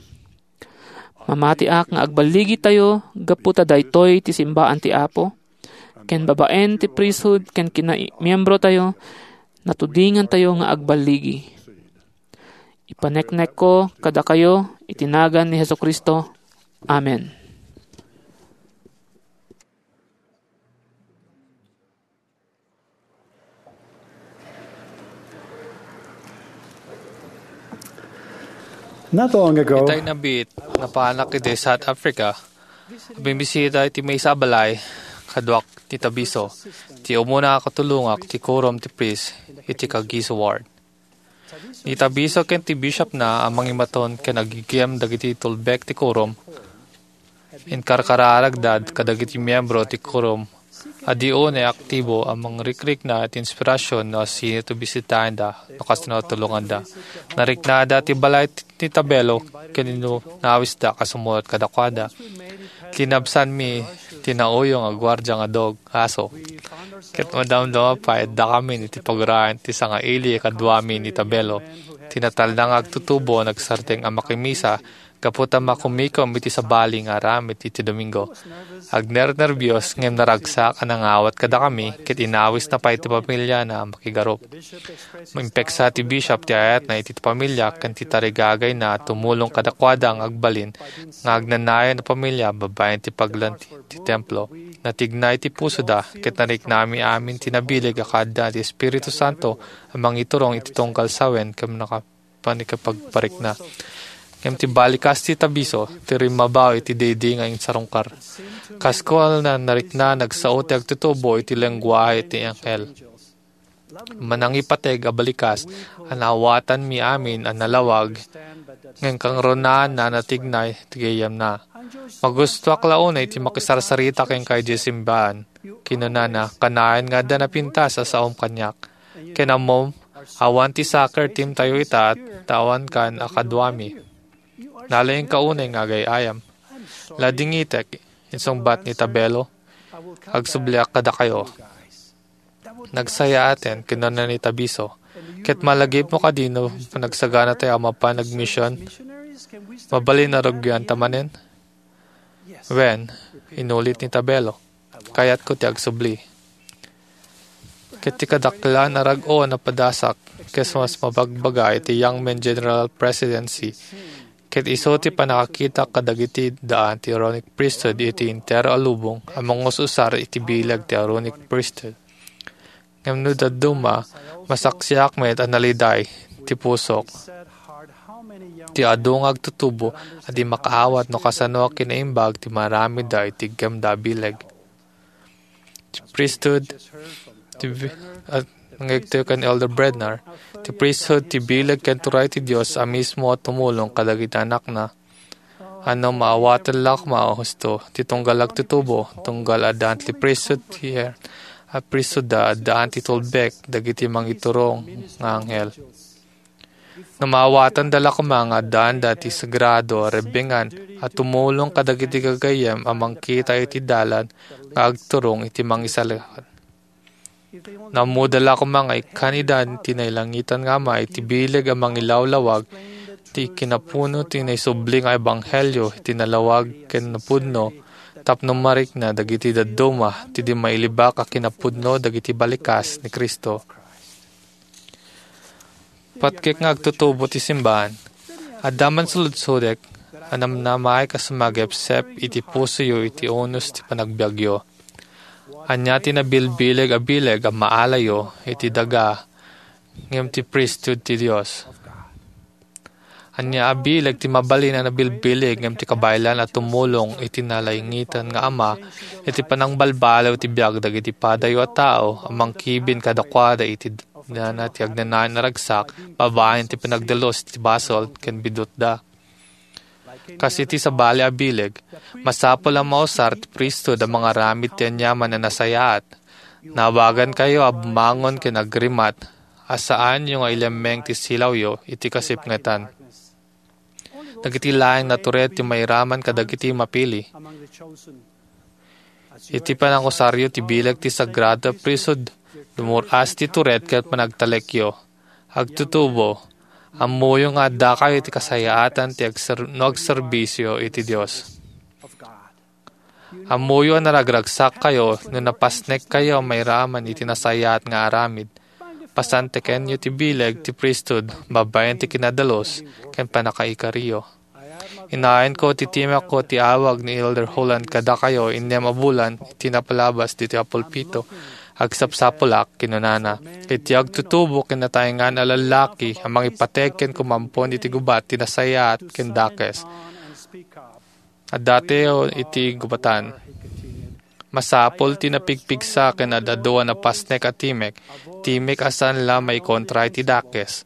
Mamatiak nga agballigitayo gapu ta daytoy ti simbaan ti Apo, ken babaen ti priesthood ken kinamiembrotayo, natudingantayo nga agballigi. Ipaneknekko kadakayo iti nagan ni Jesu-Cristo. Amen. Not long ago, Itay nabiit, napanak iti South Africa. Bimbisita iti maysa a balay, kaduak ni Tabiso, ti umuna a katulongak ti quorum ti priest iti Kagiso Ward. Ni Tabiso ken ti bishopna a mangimaton ken aggigim dagiti tulbek ti quorum, inkarkararagda kadagiti miembro ti quorum a di unay aktibo a mangrikrikna iti inspirasion no asino ti bisitaenda no kasno tulonganda. Nariknada ti balay ti, ti Tabelo ken inawisda a sumuot kadakuada. Linabsanmi ti nauyong a guardia nga dog, aso. Ket madamdama pay, addakamin iti paguraen ti sangaili a kaduami ni Tabelo, ti natalna nga agtutubo a nagsardeng a makimisa gapu ta makumikom iti sabali nga aramid iti Domingo. Agnernerbios ngem naragsak a nangawat kadakami ket inawisna pay ti pamiliana a makigarup. Impeksa ti bishop ti ayatna iti pamilia ken ti tarigagayna a tumulong kadakuada nga agbalin nga agnanayon a pamilia babaen ti paglanti ti templo. Natignay ti pusoda ket nariknami amin ti nabileg a kaadda ti Espiritu Santo a mangiturong iti tunggal sawen ken naka-, panikapagparikna. Ngem ti balikas ti Tabiso, ti rimmabaw iti daydi nga insarungkar. Kas kuana, narikna nagsao ti agtutubo iti lengguahe ti anghel. Manangipateg a balikas a naawatanmi amin a nalawag, ngem kangrunaanna a natignay ti gayyemna. Magustoak la unay ti makisarsarita kenka idiay simbaan. Kinunana, kanayon nga adda napintas a saom kaniak. Ken ammom, Awan ti soccer team tayo ita, ta awan kan a kaduami. Nalaingka unay nga agay-ayam. Ladingitek, insungbat ni Tabelo. Agsubliak kadakayo. Nagsayaaten, kinuna ni Tabiso. Ket malagipmo kadi no panagsagana tayo a mapan agmision? Mabalin a rugianta manen? Wen, inulit ni Tabelo. Kayatko ti agsubli. Ket ti kadaklan a rag-o a napadasak, ket mas mabagbaga iti Young Men General Presidency, ket isu ti pannakakitak kadagiti daan ti Aaronic Priesthood iti entero a lubong a mangus-usar iti bileg ti Aaronic Priesthood. Ngem no dadduma, masaksiak met a naliday ti pusok. Ti adu nga agtutubo a di makaawat no kasano a kinaimbag ti maaramidda iti iggemda a bileg. Ti priesthood, ti bi-, at nangegtayo ken Elder Bednar, ti priesthood, ti bileg ken turay ti Dios a mismo a tumulong kadagiti anakna. Ano, maawatan la koma a husto, ti tunggal agtutubo, tunggal addaan ti priesthood ti Aaron, a priesthood da addaan ti tulbek, dagiti mangiturong nga anghel. No maawatanda la koma nga addaanda ti sagrado a rebbingan a tumulong kadagiti gagayyem a mangkita iti dalan nga agturong iti mangisalakan. No ammoda la koma nga ikkanida ti nailangitan nga Ama iti bileg a mangilawlawag ti kinapuno ti naisubli nga ebanghelio iti nalawag ken napudno tapno marikna dagiti dadduma ti di mailibak a kinapudno dagiti balikas ni Cristo. Patgek nga agtutubo ti simbahan. Adda man suludsodek a namnamaek a sumagepsep iti pusoyo iti unos ti panagbiagyo. Ania ti nabilbileg a bileg a maalayo iti daga ngem ti priesthood ti Dios? Ania a bileg ti mabalin a nabilbileg ngem ti kabaelan a tumulong iti nalaingitan nga Ama iti panangbalbaliw ti biag dagiti padayo a tao a mangkibin kadakuada iti nana ti agnanayon a ragsak babaen ti panagdalus ti basol ken bidutda? Kas iti sabali a bileg, masapul a mausar ti priesthood a mangaramid ti aniaman a nasayaat. Naawagankayo a bumangon ken agrimat a saanyo nga ilemmeng ti silawyo iti kasipngetan. Dagiti laeng natured ti mairaman kadagiti mapili. Iti panangusaryo ti bileg ti sagrado a priesthood, dumur-as ti tured ken panagtalekyo. Agtutubo, ammoyo nga addakayo iti kasayaatan ti agser-, no agserbisyo iti Dios. Ammoyo a naragragsakkayo no napasnekkayo a mairaman iti nasayaat nga aramid. Pasantekenyo ti bileg ti priesthood babaen ti kinadalus ken pannakaikariyo. Inayanko ti timek ko ti awag ni Elder Holland kadakayo innem a bulan iti napalabas ditoy a pulpito. Agsapsapulak, kinunana, iti agtutubo ken nataengan a lallaki a mangipateg ken kumampon iti gubat ti nasayaat ken dakes. Adda tayo iti gubatan. Masapul ti napigpigsa ken ad-adu a napasnek a timek, timek a saan la maikontra iti dakes,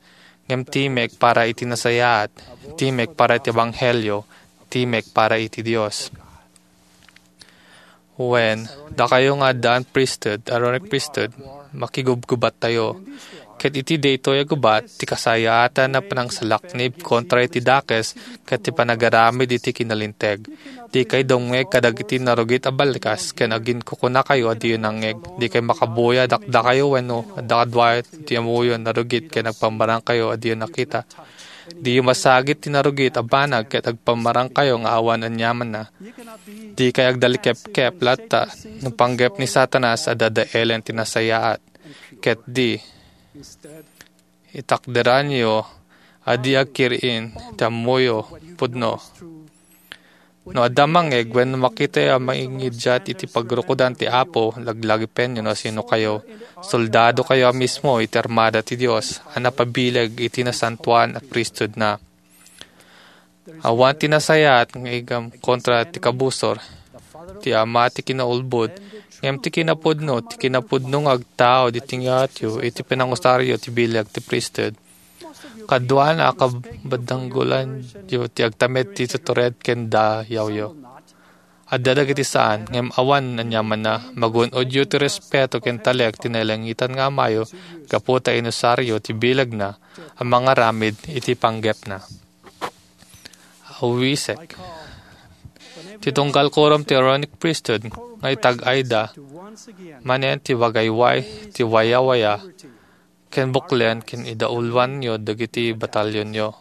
ngem timek para iti nasayaat, timek para iti ebanghelio, timek para iti Dios. Wen, dakayo nga addaan priesthood, Aaronic priesthood, makigubgubattayo. Ket iti daytoy a gubat, ti kasayaatan a panangsalaknib kontra iti dakes ket ti panagaramid iti kinalinteg. Dikay dumngeg kadagiti narugit a balikas ken aginkukunakayo a diyo nangngeg. Dikay makabuya dakdakayo wenno adda kaduayo ti ammoyo a narugit ken agpammarangkayo a diyo nakita. Diyo masagit ti narugit a banag ket agpammarangkayo nga awan aniamanna. Dikay agdalikepkep latta no panggep ni Satanas a dadaelen ti nasayaat. Ket di, itakderanyo a di agkir-in ti ammoyo pudno. No adda mangngeg wenno makitayo a mangidiat iti pagrukodan ti Apo, laglagipenyo no sinokayo. Soldadokayo a mismo iti armada ti Dios a napabileg iti nasantoan a priesthoodna. Awan ti nasayaat nga igam kontra ti kabusor. Ti Ama ti kinaulbod, ngem ti kinapudno, ti kinapudno nga agtaud iti ngarud iti panangusaryo ti bileg ti priesthood. Kaduana a kabadanggolanyo ti agtamed ti tutured ken dayawyo. Adda dagiti saan, ngem awan aniamanna, magun-odyo ti respeto ken talek ti nailangitan nga Amayo gapu ta inusaryo ti bilegna a mangaramid iti panggepna. Awisek. Ti tunggal quorum ti Aaronic Priesthood nga itag-ayda manen ti wagayway, ti wayawaya, ken buklen ken idauluanyo dagiti batalyonyo.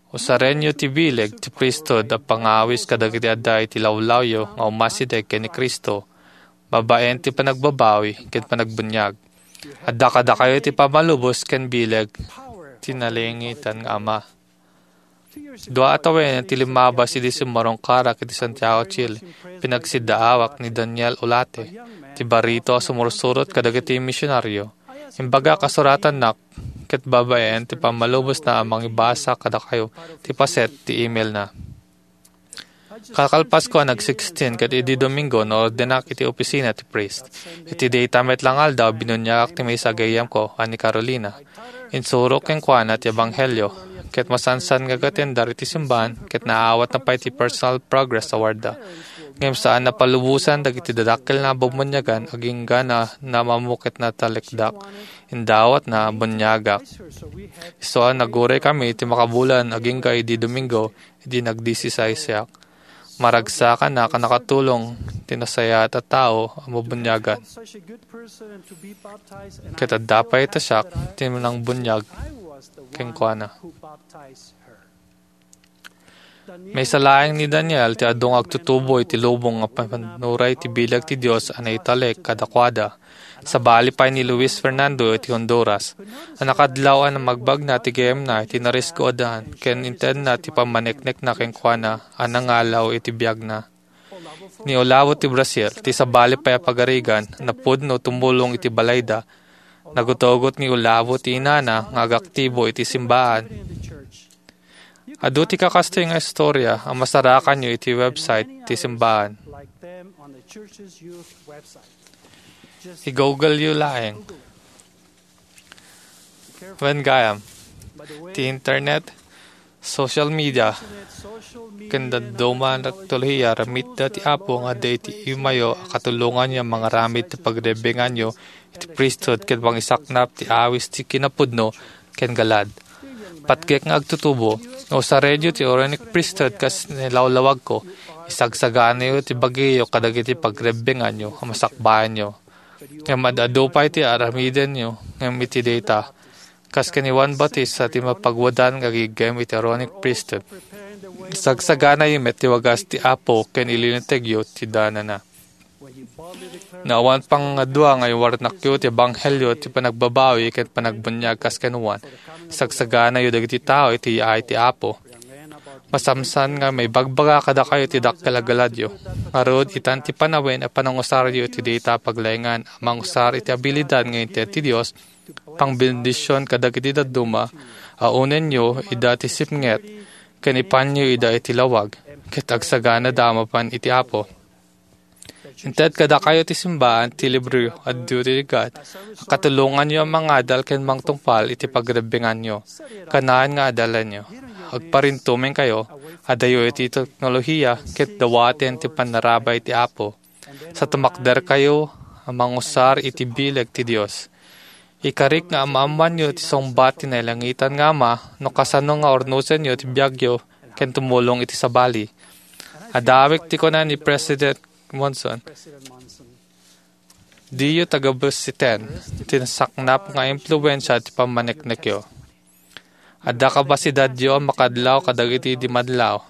Usarenyo ti bileg ti priesthood a pangawis kadagiti adda iti lawlawyo nga umasideg ken ni Cristo, babaen ti panagbabawi ken panagbuniag. Adda kadakayo ti pammalubos ken bileg ti nalangitan nga Ama. Dua a tawen ti limmabas idi simmarungkarak iti Santiago, Chile, pinagsiddaawak ni Daniel Ulate, ti barito a sumursurot kadagiti misionaryo. Imbagak a suratannak ket babaen ti pammalubosna a mangibasa kadakayo ti paset ti emailna. Kalkalpasko a nag-sixteen ket idi Domingo, naordenak iti opisina ti priest. Iti dayta met la nga aldaw, binuniagak ti maysa a gayyemko a ni Carolina. Insurok kenkuana ti ebanghelio, ket masansan nga agatendar iti simbahan, ket naawatna pay ti Personal Progress Awardda. Ngem saan a palubosan dagiti dadakkel nga bummuniagan agingga na namammo ket natalekdak. Indawatna a buniagak. Isu a naguray kami ti makabulan agingga idi Domingo, idi nagdisisaysiak. Maragsakanak a nakatulong ti nasayaat a tao a mabuniagan. Ket adda pay ta siak ti nangbuniag kenkuana. Maysa laeng ni Daniel ti adu nga agtutubo iti lubong nga pannuray ti bileg ti Dios a naitalek kadakuada. Sabali pay ni Luis Fernando iti Honduras, a nakadlaw a namagbagna ti gayyemna iti narisku a daan ken intedna ti pammaneknekna kenkuana a nangalaw iti biagna. Ni Olavo ti Brazil, ti sabali pay a pagarigan, napudno tumulong iti balayda. Nagutugot ni Olavo ti inana nga agaktibo iti simbahan. Adu ti kakastoy nga istorya a masarakanyo iti website ti simbahan. I-Google-yo laeng. Wen gayam, ti internet, social media, ken dadduma nga teknolohiya, aramidda ti Apo nga adda iti imayo a katulonganyo a mangaramid ti pagrebbenganyo iti priesthood ket mangisaknap ti awis ti kinapudno ken galad. Patgek nga agtutubo, no usarenyo ti Aaronic Priesthood kas nilawlawagko, isagsaganayo ti bagiyo kadagiti pagrebbenganyo a masakbayanyo. Ngem ad-adu pay ti aramidenyo ngem iti dayta, kas ken ni Juan Bautista ti mapagwadan nga agiggem iti Aaronic Priesthood. Isagsaganayo met ti wagas ti Apo ken ilinutegyo ti danana. No awan pangadua nga iwarnakyo ti ebanghelio ti panagbabawi ken panagbuniag kas ken Juan, isagsaganayo dagiti tao iti yaay ti Apo. Masamsan nga maibagbaga kadakayo ti dakkel a galadyo. Ngarud, itan ti panawen a panangusaryo iti dayta a paglaengan a mangusar iti abilidad nga inted ti Dios, pangbendision kadagiti dadduma a unenyo ida ti sipnget, ken ipanyo ida iti lawag, ket agsaganada a mapan iti Apo. Inted kadakayo ti simbaan ti libro a Duty to God a katulonganyo a mangadal ken mangtungpal iti pagrebbenganyo. Kanayon nga adalanyo. Agparintumengkayo, adayo iti teknolohiya ket dawaten ti pannarabay ti Apo. Sa tumakderkayo a mangusar iti bileg ti Dios. Ikarik nga amaammoanyo ti sungbat ti nailangitan nga Ama no kasano nga urnosenyo ti biagyo ken tumulong iti sabali. Adawek ti kuna ni President Monson, "Diyo tagabesiten ti nasaknap nga impluensia ti pammaneknekyo." Adda kapasidadyo a makadlaw kadagiti di madlaw.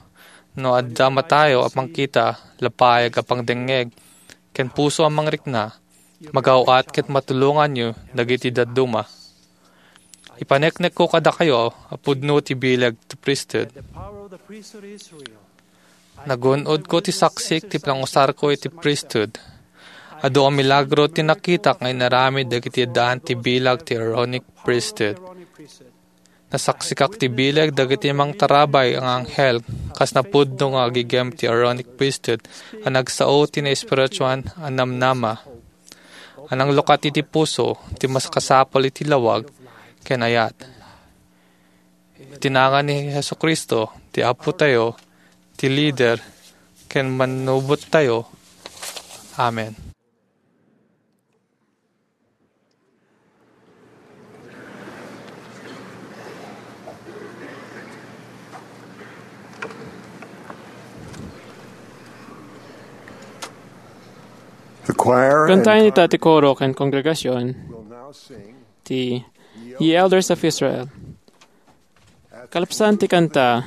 No adda matayo a pangkita, lapayag a pangdengngeg, ken puso a mangrikna, magaw-at ket matulonganyo dagiti dadduma. Ipaneknekko kadakayo a pudno ti bileg ti priesthood. Nagun-odko ti saksik ti pangusarko iti priesthood. Adu a milagro ti nakitak nga inaramid dagiti addaan ti bileg ti Aaronic priesthood. Nasaksikak ti bileg dagiti mangtarabay nga anghel kas napudno nga agigem ti Aaronic priesthood a nagsao ti naespirituan a namnama a nanglukat iti puso ti makasapul iti lawag ken ayat. Iti nagan ni Jesu-Cristo, ti Apotayo, ti lider, ken mannubottayo. Amen. The choir and Kantaen ita ti koro ken kongregasion will now sing ti Ye Elders of Israel. Kalpasan ti kanta,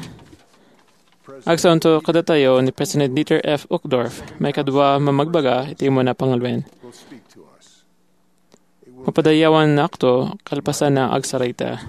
agsaonto kadatayo ni President Dieter F. Uchtdorf, maikadua a mamagbaga iti umuna a panguloen. Mapadayawannakto kalpasan a agsarita.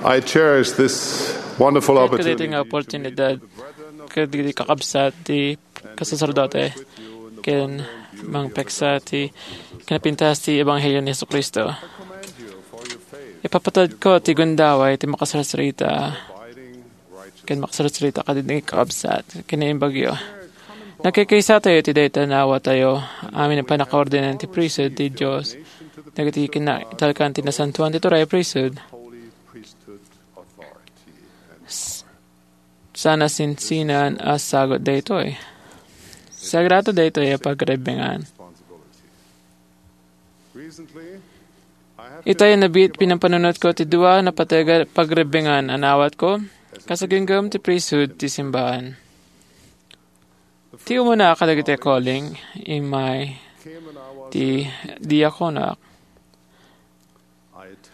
I cherish this wonderful Ket kadaytoy nga opportunity opportunidad kadagiti kakabsat ti kasaserdote ken mangpeksa ti kinapintas ti Ebanghelio ni Jesu-Cristo. Ipapatadko ti gundaway ti makasarsarita ken makasarsarita kadagiti kakabsat ken naimbagyo. Nagkaykaysatayo iti dayta a naawatayo amin a pannakaordenan ti priesthood ti Dios dagiti kinaitalkan ti Nasantoan ti Turay a Priesthood. S-, saan a sinsinan a sagut daytoy. Sagrado daytoy a pagrebbengan. Itay a nabit, pinapanunotko ti dua a napateg a pagrebbengan a naawatko kas agingga ti priesthood ti simbahan. Ti umuna kadagiti calling, immay ti diakonak.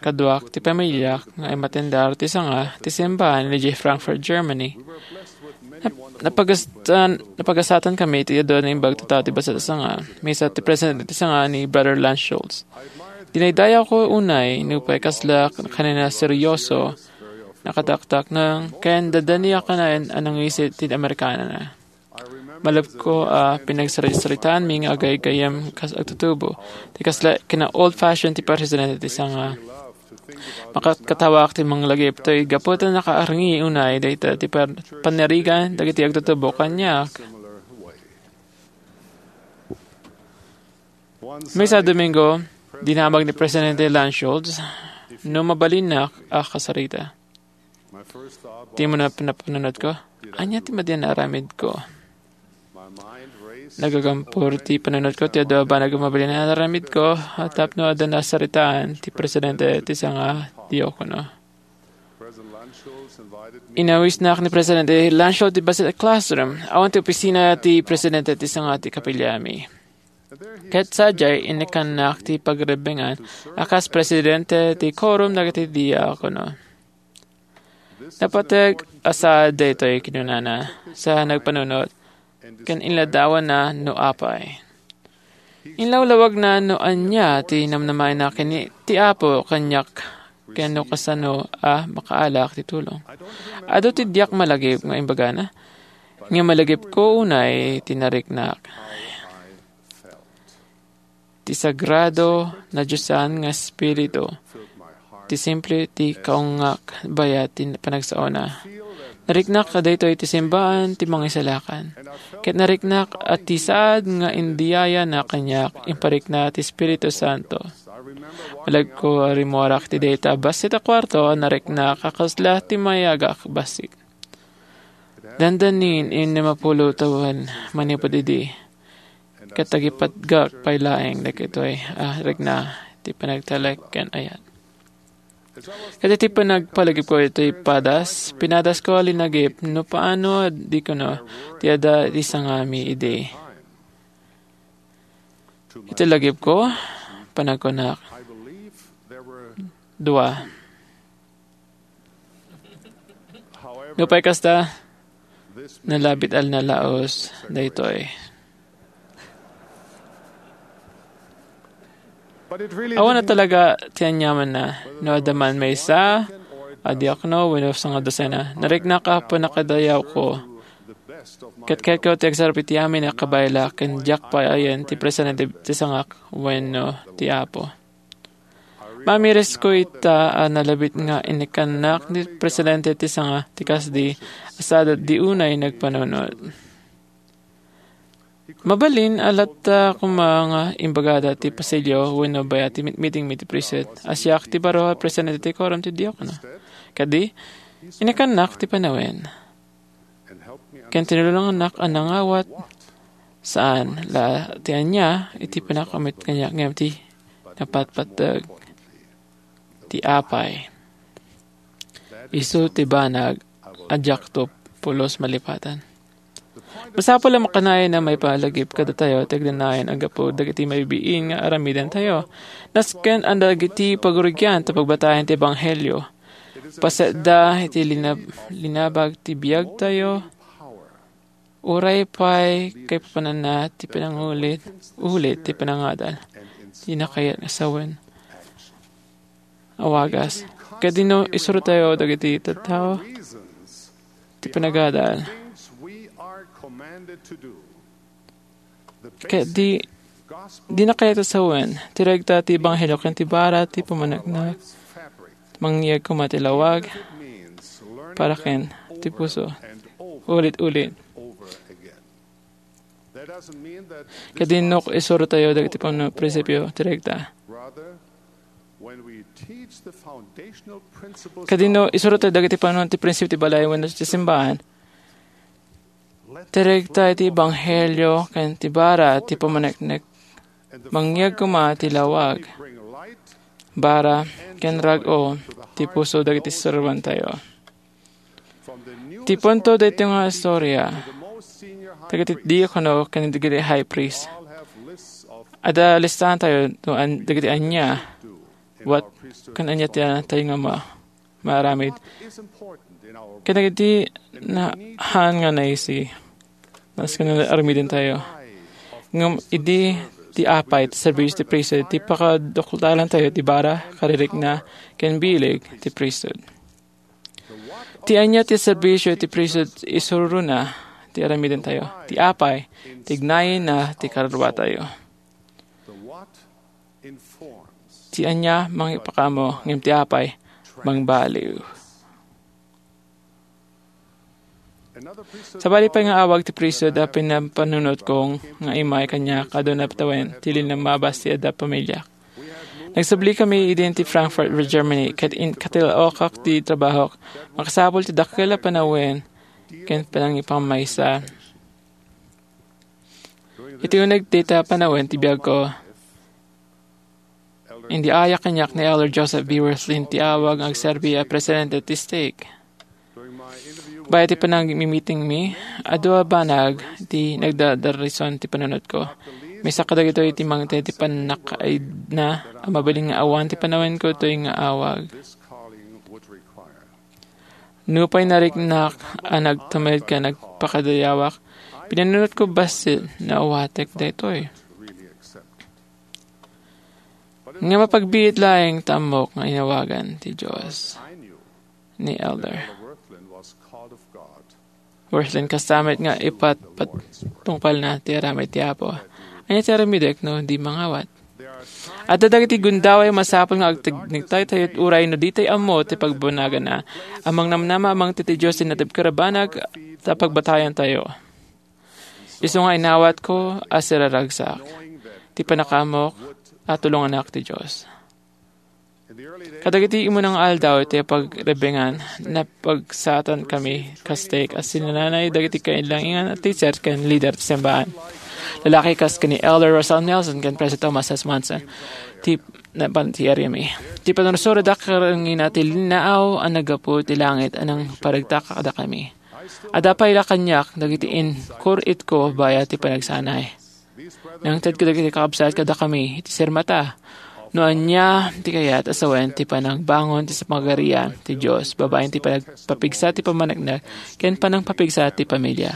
Kaduak ti pamiliak nga immatendar ti sanga ti simbahan idiay Frankfurt, Germany. Nap-, napagasatan, napagasatanmi iti adu a naimbag a tattao ti bassit a sanga. Maysa ti presidente ti sanga ni Brother Lance Schultz. Dinaydayawko unay nupay kasla kanina seryoso, nakataktaknang, ken dadaniakanen a nangisit ti Amerikana. Malabko a pinagsaritsaritaanmi nga agaygayyem kas agtutubo. Ti kasla kina-old-fashioned ti presidente ti sanga. Makatkatawak ti manglagip toy gapu ta nakaarngi unay dayta ti par-, panirigan dagiti agtutubo kaniak. Maysa a Domingo, dinamag ni Presidente Lance Schultz no mabalinnak a kasarita. Ti muna panapanunotko, ania ti madi a naaramidko? Nagagampor ti panunotko ti adu a banag a mabalin a naaramidko, a tapno adda nasaritaan ti presidente ti sanga diakono. Inawisnak ni Presidente Lance Schultz ti bassit a classroom. Awan ti opisina ti presidente ti sanga ti kapiliami. Ket sadiay, innekannak ti pagrebbengan a kas presidente ti quorum dagiti diakono. Napateg a saad daytoy, kinunana, sa nagpanunot, ken inladawanna no apay. Inlawlawagna no ania ti namnamaenna ken ni, ti Apo kaniak ken no kasano a makaalak ti tulong. Adu ti diak malagip nga imbagana, nga malagipko unay ti nariknak. Ti sagrado, nadiosan nga Espiritu, ti simple ti kaungak bayat ti panagsaona. Nariknak a daytoy ti simbaan ti Mangisalakan. Ket nariknak a ti saad nga indayawna kaniak, imparikna ti Espiritu Santo. Malagipko a rimmuarak ti dayta a bassit a kuarto a nariknak a kasla ti mayagak bassit. Dandanin, innem a pulo tawen manipud idi, ket agipatgak pay laeng dagitoy a rikna ti panagtalek ken ayat. Ket iti panagpalagipko iti padas, pinadasko a linagip no paano a di kuno ti adda ti sangami idi. Iti lagipko, panagkunak, dua. Nupay kasta, nalabit a nalaus daytoy. Awan a talaga ti aniamanna. No adda man maysa a diakno wenno sangadusena, nariknak a pannakadayawko. Ket kayatko ti agsarap iti amin a kabayla ken diak pay ayan ti presidente ti sangak wenno ti Apo. Maamirisko ita a nalabit nga innekannak ni presidente ti sanga ti kasdi a sadat di unay nagpanunot. Mabalin a latta koma nga imbagada ti pasilyo wenno bayat ti mitmiting iti priesthood a siak ti baro a presidente ti quorum ti diakono. Kadi, innekannak ti panawen. Ken tinulongannak a nangawat, saan la ti ania iti panakaummet kaniak ngem ti napatpateg ti apay. Isu ti banag a diakto pulos malipatan. Masapul a makanayon a maipalagip kadatayo ti agnanayon a gapu dagiti mabibiin nga aramidantayo. Nasken a dagiti pagrugian ta pagbatayen ti ebanghelio. Pasetda iti linab-, linabag ti biagtayo, uray pay kaipapananna ti panangulit, ulit ti panangadal. Ti nakayat nga sawen. Awagas. Kadi no isurotayo dagiti tattao ti panagadal. Ket di, di nakayat a sawen, ti regta ti ebanghelio ken ti bara ti pamaneknek. Mangyeg koma ti lawag, para ken ti puso. Ulit-ulit. Ket di no isurotayo dagiti pano-, prinsipio ti regta. Ket di no isurotayo dagiti pano-, ti prinsipio ti balay wenno ti simbahan. Ti regta iti ebanghelio ken ti bara ti pamaneknek. Mangyeg koma ti lawag, bara, ken rag-o ti puso dagiti serbiantayo. Ti punto daytoy nga istorya, dagiti diakono ken dagiti high priest. Adda listaantayo no an-, dagiti ania What, ken ania ti tayo nga ma-, maaramid? Kadagiti na-, haan nga naisi, nasken nga aramidentayo. Ngem idi ti apay ti serbisio ti priesthood, ti pakadukltalantayo ti bara, karirikna, ken bileg ti priesthood. Ti ania ti serbisio ti priesthood isuruna ti aramidentayo. Ti apay, tignayenna ti karuatayo. Ti ania mangipakaammo, ngem ti apay, mangbaliw. Sabali pay nga awag ti priesthood a pinapanunotko nga immay kaniak, aduna tawen ti linammabas ti adda pamiliak. Nagsubli kami idin ti Frankfurt, Germany, ket in-, katilaokak ti trabahok. Makasapul ti dakkel a panawen ken panangipamaysa. Iti uneg dayta panawen ti biagko, indiayak kaniak ni Elder Joseph B. Wirthlin ti awag nga agserbi a presidente ti stake. Bayat ti panagmimitingmi, adu a banag ti nagdadarison ti panunotko. Maysa kadagitoy ti mangted ti pannakaidna a mabalin nga awan ti panawenko toy nga awag. Nupay nariknak a nagtumed ken nagpakadayawak, pinanunotko bassit no awatek daytoy. Nga mapagbiit laeng ta ammok nga inawagan ti Dios ni Elder Wirthlin kasta met nga ipatpatungpalna ti aramid ti Apo. Ania ti aramidek no di mangawat? Adda dagiti gundaway a masapul nga agtignitaytayo uray no ditay ammo ti pagbunaganna. Ammong namnama a mangted ti Dios ti natibker a banag ta pagbatayantayo. Isu nga inawatko a siraragsak ti pannakaammok a tulonganak ti Dios. Kadagiti immuna nga aldaw ti pagrebengan, napagsatankami kas stake a sinanay dagiti kailanginan a teacher ken leader ti simbahan. Lalaki kas ken ni Elder Russell Nelson ken President Thomas S. Monson ti napan ti aramidmi. Ti panursurodak karengngina ti linnaaw a naggapu ti langit a nangparagtak kadakami. Adda pay la kaniak dagiti inkur-itko bayat ti panagsanay. Nangted kadagiti kakabsat kadakami iti sirmata no ania ti kayat a sawen ti panangbangon ti pagarian ti Dios babaen ti panagpapigsa ti pammaneknek ken panangpapigsa ti pamilya.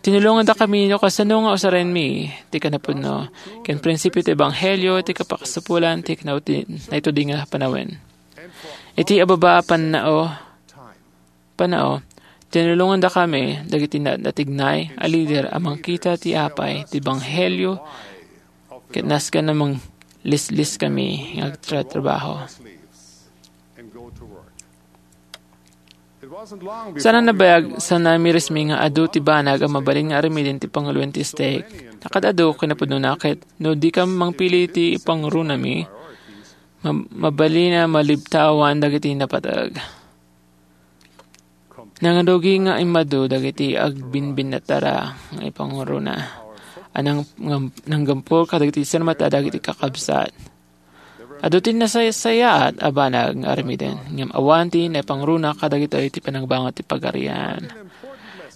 Tinulongandakami no kasano nga usarenmi ti kinapudno ken prinsipio ti ebanghelio ti kapakasapulan ti kinauti-, naitudi nga panawen. Iti ababa a pannao, pannao, tinulongandakami dagiti na-, natignay a lider a mangkita ti apay ti ebanghelio ket nasken a manglisliskami nga agtratrabaho. Saan a nabayag, sanamirismi nga adu ti banag a mabalin nga aramiden ti panguloen ti stake. Nakad-adu kinapudnona ket no dika mangpili ti ipangrunami, ma-, mabalin a malibtawan dagiti napateg. Nangrugi nga immadu dagiti agbinbinnatara nga ipangruna a nang-, ngam-, nanggampol kadagiti sirmata dagiti kakabsat. Adu ti nasaysayaat a banag nga aramiden, ngem awan ti naipangruna kadagitoy ti panagbangon ti pagarian.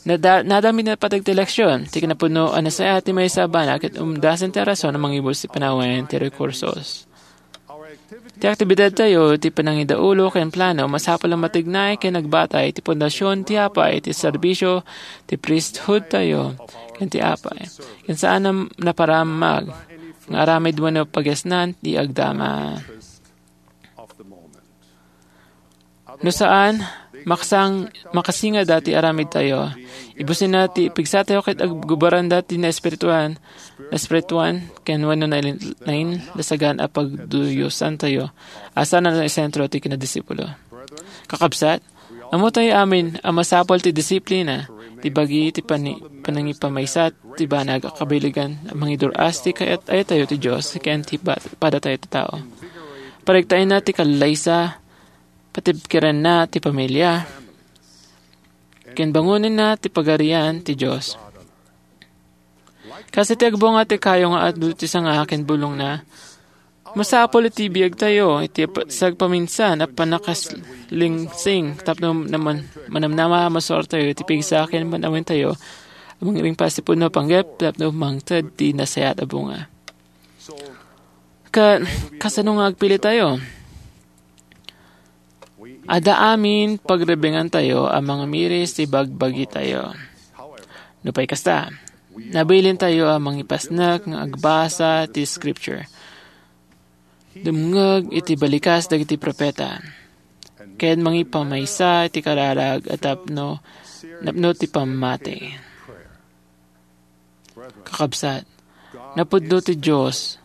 Nada-, nadamit napateg ti leksion, ti kinapudno a nasayaat ti maysa a banag ket umdasen ti rason a mangibus ti panawen ti rekursos. Ti aktibidadtayo, ti panangidaulo ken plano, masapul a matignay ken agbatay ti pundasion ti apay, ti serbisio, ti priesthoodtayo, ken ti apay. Ken saan a naparamag nga aramid wenno pagesnan ti agdama. No saan, makasang-, makasingada ti aramidtayo. Ibusenna ti pigsatayo ket aggubaranda ti naespirituan, naespirituan, ken wenno nain-, nainlasagan a pagduyosantayo. Asa na naisentro ti kinadisipulo? Kakabsat, ammotayo amin a masapul ti disiplina, ti bagi ti pani-, panangipamaysa ti banag a kabilegan a mangidur-as ti kayat-ayatayo ti Dios ken ti ba-, padatayo ti tao. Pariktaenna ti kallaysa, patibkerenna ti pamilia, ken bangonenna ti pagarian ti Dios. Kas iti agbunga ti kayo nga adu ti sanga ken bulongna, masapul iti biagtayo iti pa-, sagpaminsan a pannakaslingsing tapno naman-, manamnama a masuartayo iti pigsa ken panawentayo a mangringpas ti pudno a panggep tapno mangted ti nasayaat a bunga. Ket kasano nga agpilitayo? Adda amin pagrebengantayo a mangamiris ti bagbagitayo. Nupay kasta, nabilintayo a mangipasnek nga agbasa ti Scripture, dumngeg iti balikas dagiti profeta, ken mangipamaysa iti kararag a tapno napno ti pammati. Kakabsat, napudno ti Dios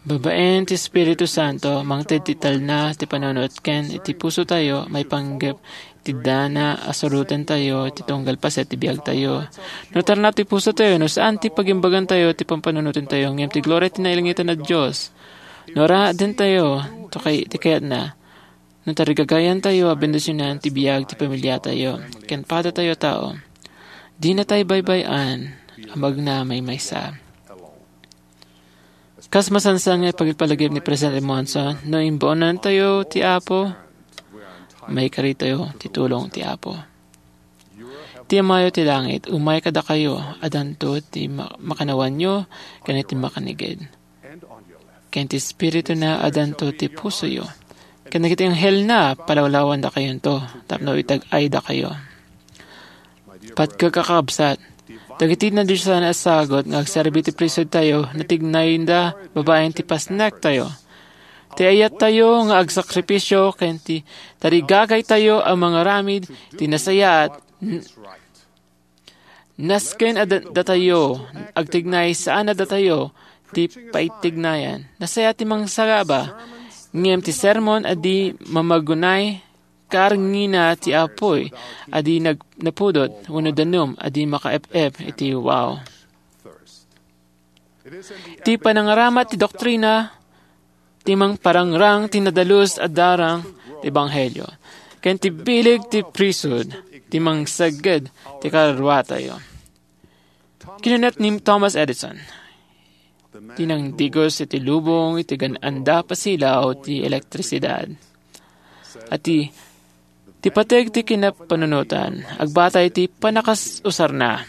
babaen ti Espiritu Santo, mangted ti talna ti panunot ken iti pusotayo, maipanggep ti dana a surotentayo ti tunggal paset ti biagtayo. No tarna ti pusotayo, no saan ti pagimbagantayo ti pampanunotentayo, ngem ti gloria ti nailangitan a Dios. No addatayo ti kay-, ti kayatna, no tarigagayantayo a bendisionan ti biag ti pamiliatayo ken padatayo a tao, dinatay baybay-an a magnamaymaysa. Kas masansan nga ipagpalagip ni Presidente Monson, no imbaonantayo ti Apo, maikaritayo ti tulong ti Apo. Ti Amayo ti langit, umay kadakayo, addanto ti ma-, makannawanyo ken iti makanigid. Ken ti Espirituna, addanto ti pusoyo. Ken dagiti anghelna, palawlawandakayonto tapno itag-aydakayo. Patgek a kakabsat, dagiti nadiosan a sagut nga agserbi ti priesthoodtayo, natignayda babaen ti pasnektayo. Ti ayattayo nga agsakripisio ken ti tarigagaytayo a mangaramid ti nasayaat, n-, nasken a da-, datayo agtignay saan a datayo ti paitignayan. Nasayaat ti mangsagaba, ngem ti sermon a di mamagunay karngina ti apuy a di nag-, napudot wenno danum a di makaep-ep iti wow. Ti panangaramat ti doktrina, ti mangparangrang ti nadalus a darang ti ebanghelio, ken ti bileg ti priesthood, ti mangsegged ti karuatayo. Kinunat ni Thomas Edison, ti nangdigos iti lubong iti gan-anda pasilaw ti elektrisidad. A ti, ti pateg ti kinapanunotan, agbatay ti panakasusarna.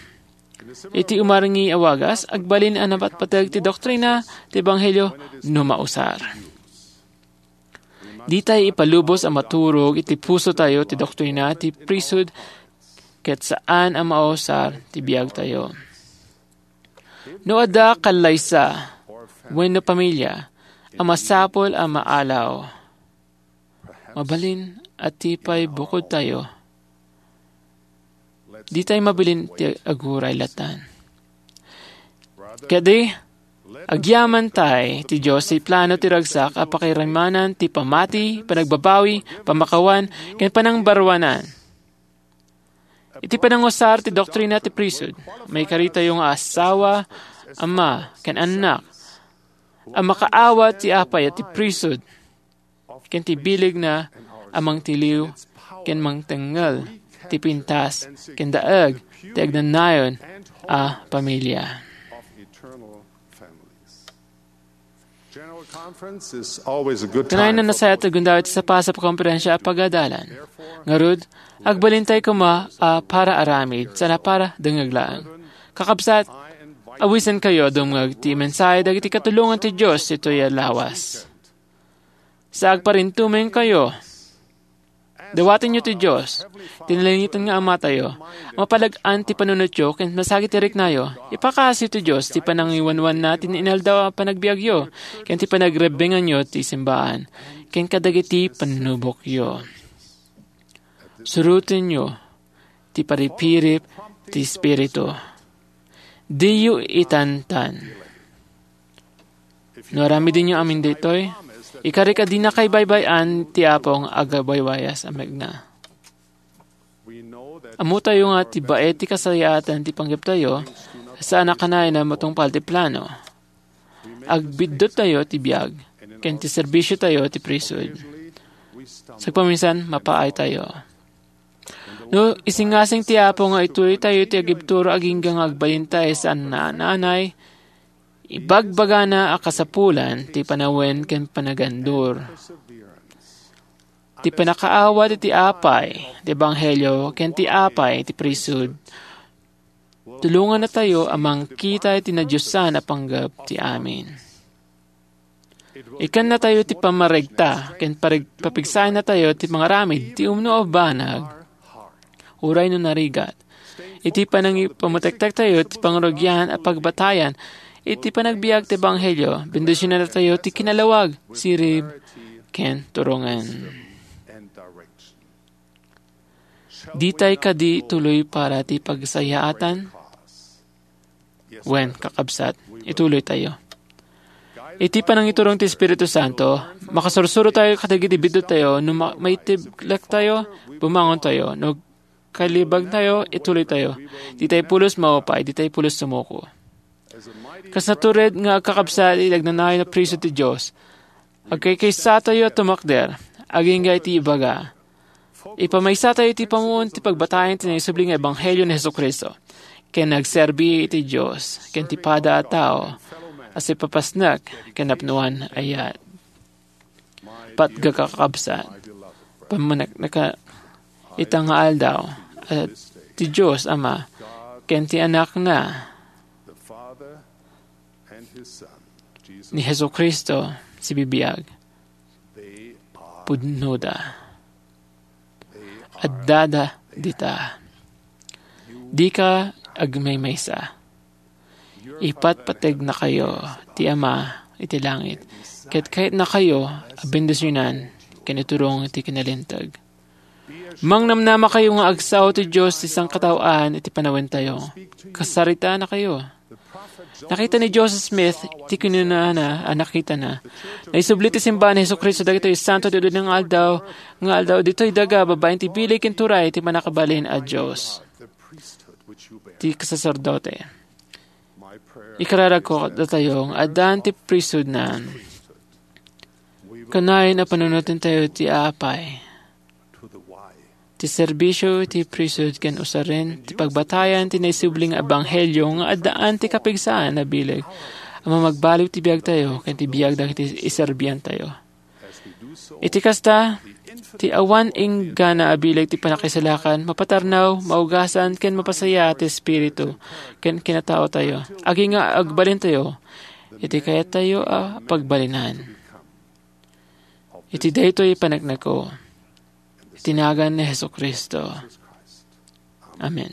Iti umarngi a wagas, agbalin a napatpateg ti doktrina ti ebanghelio no mausar. Ditay ipalubos a maturog iti pusotayo ti doktrina ti priesthood ket saan a mausar ti biagtayo. No adda kallaysa wenno pamilia a masapul a maalaw, mabalin a ti pay bukodtayo, ditay mabalin ti aguray latan. Kadi, agyamantay ti Dios ti plano ti ragsak a pakaimanan ti pamati, panagbabawi, pamakawan, ken panangbaruanan. Iti panangusar ti doktrina ti priesthood, maikaritayo nga asawa, ama, ken annak, a makaawat ti apay a ti priesthood, ken ti bilegna a mangtiliw ken mangtengngel ti pintas ken daeg ti agnanayon a pamilia. Kanayon a nasayaat ti gundaway ti sapasap a komperensia a pagadalan. Ngarud, agbalintay koma a para aramid, sana para dengngeg laeng. Kakabsat, awisenkayo a dumngeg ti mensahe dagiti katulongan ti Dios ditoy a lawas. Sa agparintumengkayo, dawatenyo ti Dios, ti nalangiten nga Amatayo, a mapalag-an ti panunotyo ken masagid ti riknayo. Ipakaasiyo ti Dios ti panangiwanwanna ti inaldaw a panagbiagyo, ken ti panagrebbenganyo ti simbaan, ken kadagiti panubokyo. Surotenyo ti paripirip ti Espiritu. Diyo itantan. No aramidenyo amin daytoy, ikarik a dinakay baybay-an ti Apo nga agabaywayas a mekna. Ammotayo nga ti baet ti kasayaatan ti panggeptayo, saan a kanayon a matungpal ti plano. Agbidduttayo ti biag, ken ti serbisiotayo ti priesthood. Sagpaminsan, mapaaytayo. No isingasing ti Apo nga itulitayo ti agibturo agingga nga agbalintay saan a naanay, ibagbagana a kasapulan ti panawen ken panagandur. Ti panakaawat iti apay ti ebanghelio ken ti apay ti priesthood, tulongannatayo a mangkita iti nadiosan a panggep ti amin. Ikkannatayo ti pammaregta ken pareg-, papigsayannatayo ti pangaramid ti umno a banag, uray no narigat. Iti panangipamutektektayo ti pangrugyan a pagbatayan iti panagbiag ti ebanghelio, bendisionannatayo ti kinalawag, sirib, ken turongen. Ditay kadi tuloy para ti pagsayaatan? Wen, kakabsat, ituloytayo. Iti panangiturong ti Espiritu Santo, makasursurotayo kadagiti biddutayo no ma-, maitiblektayo, bumangontayo, no kalibagtayo, ituloytayo. Ditay pulos maupay, ditay pulos sumuko. Kas natured nga agkakabsat iti agnanayon a priesthood ti Dios, agkaykaysatayo a tumakder, agingga iti ibaga. Ipamaysatayo iti pammuon ti pagbatayan ti naisubli nga ebanghelio ni Jesu-Cristo, ken nagserbi iti Dios ken ti pada a tao a sipapasnek ken napnoan a yat. Patgek a kakabsat, pammanekneka ita nga aldaw, a ti Dios Ama ken ti Anakna ni Jesu-Cristo sibibiag. Pudnoda. Addada dita. Dika agmaymaysa. Ipatpategnakayo ti Ama iti langit, ket kayatnakayo a bendisionan ken iturong iti kinalinteg. Mangnamnamakayo nga agsao ti Dios ti sangkataoan iti panawentayo. Kasaritanakayo. Nakita ni Joseph Smith ti kinunana a nakitana. Naisubli ti simbahan ni Jesu-Cristo dagitoy santo ti ududna nga aldaw, nga aldaw ditoy daga babaen ti bileg ken turay ti Mannakabalin a Dios. Ti kasaserdote. Ikararagko kadatayo nga addaan ti priesthoodna. Kanayon a panunotentayo ti apay, ti serbisio iti priesthood ken usaren ti pagbatayan ti naisubli nga ebanghelio nga addaan ti kapigsaan a bileg a mamagbaliw ti biagtayo ken ti biag dagiti iserbiantayo. Iti kasta, ti awan inggana a bileg ti pannakaisalakan mapatarnaw, maugasan, ken mapasayaat ti espiritu ken kinataotayo, agingga agbalintayo iti kayattayo a pagbalinan. Iti daytoy panekneko, iti nagan ni Jesu-Cristo. Amen.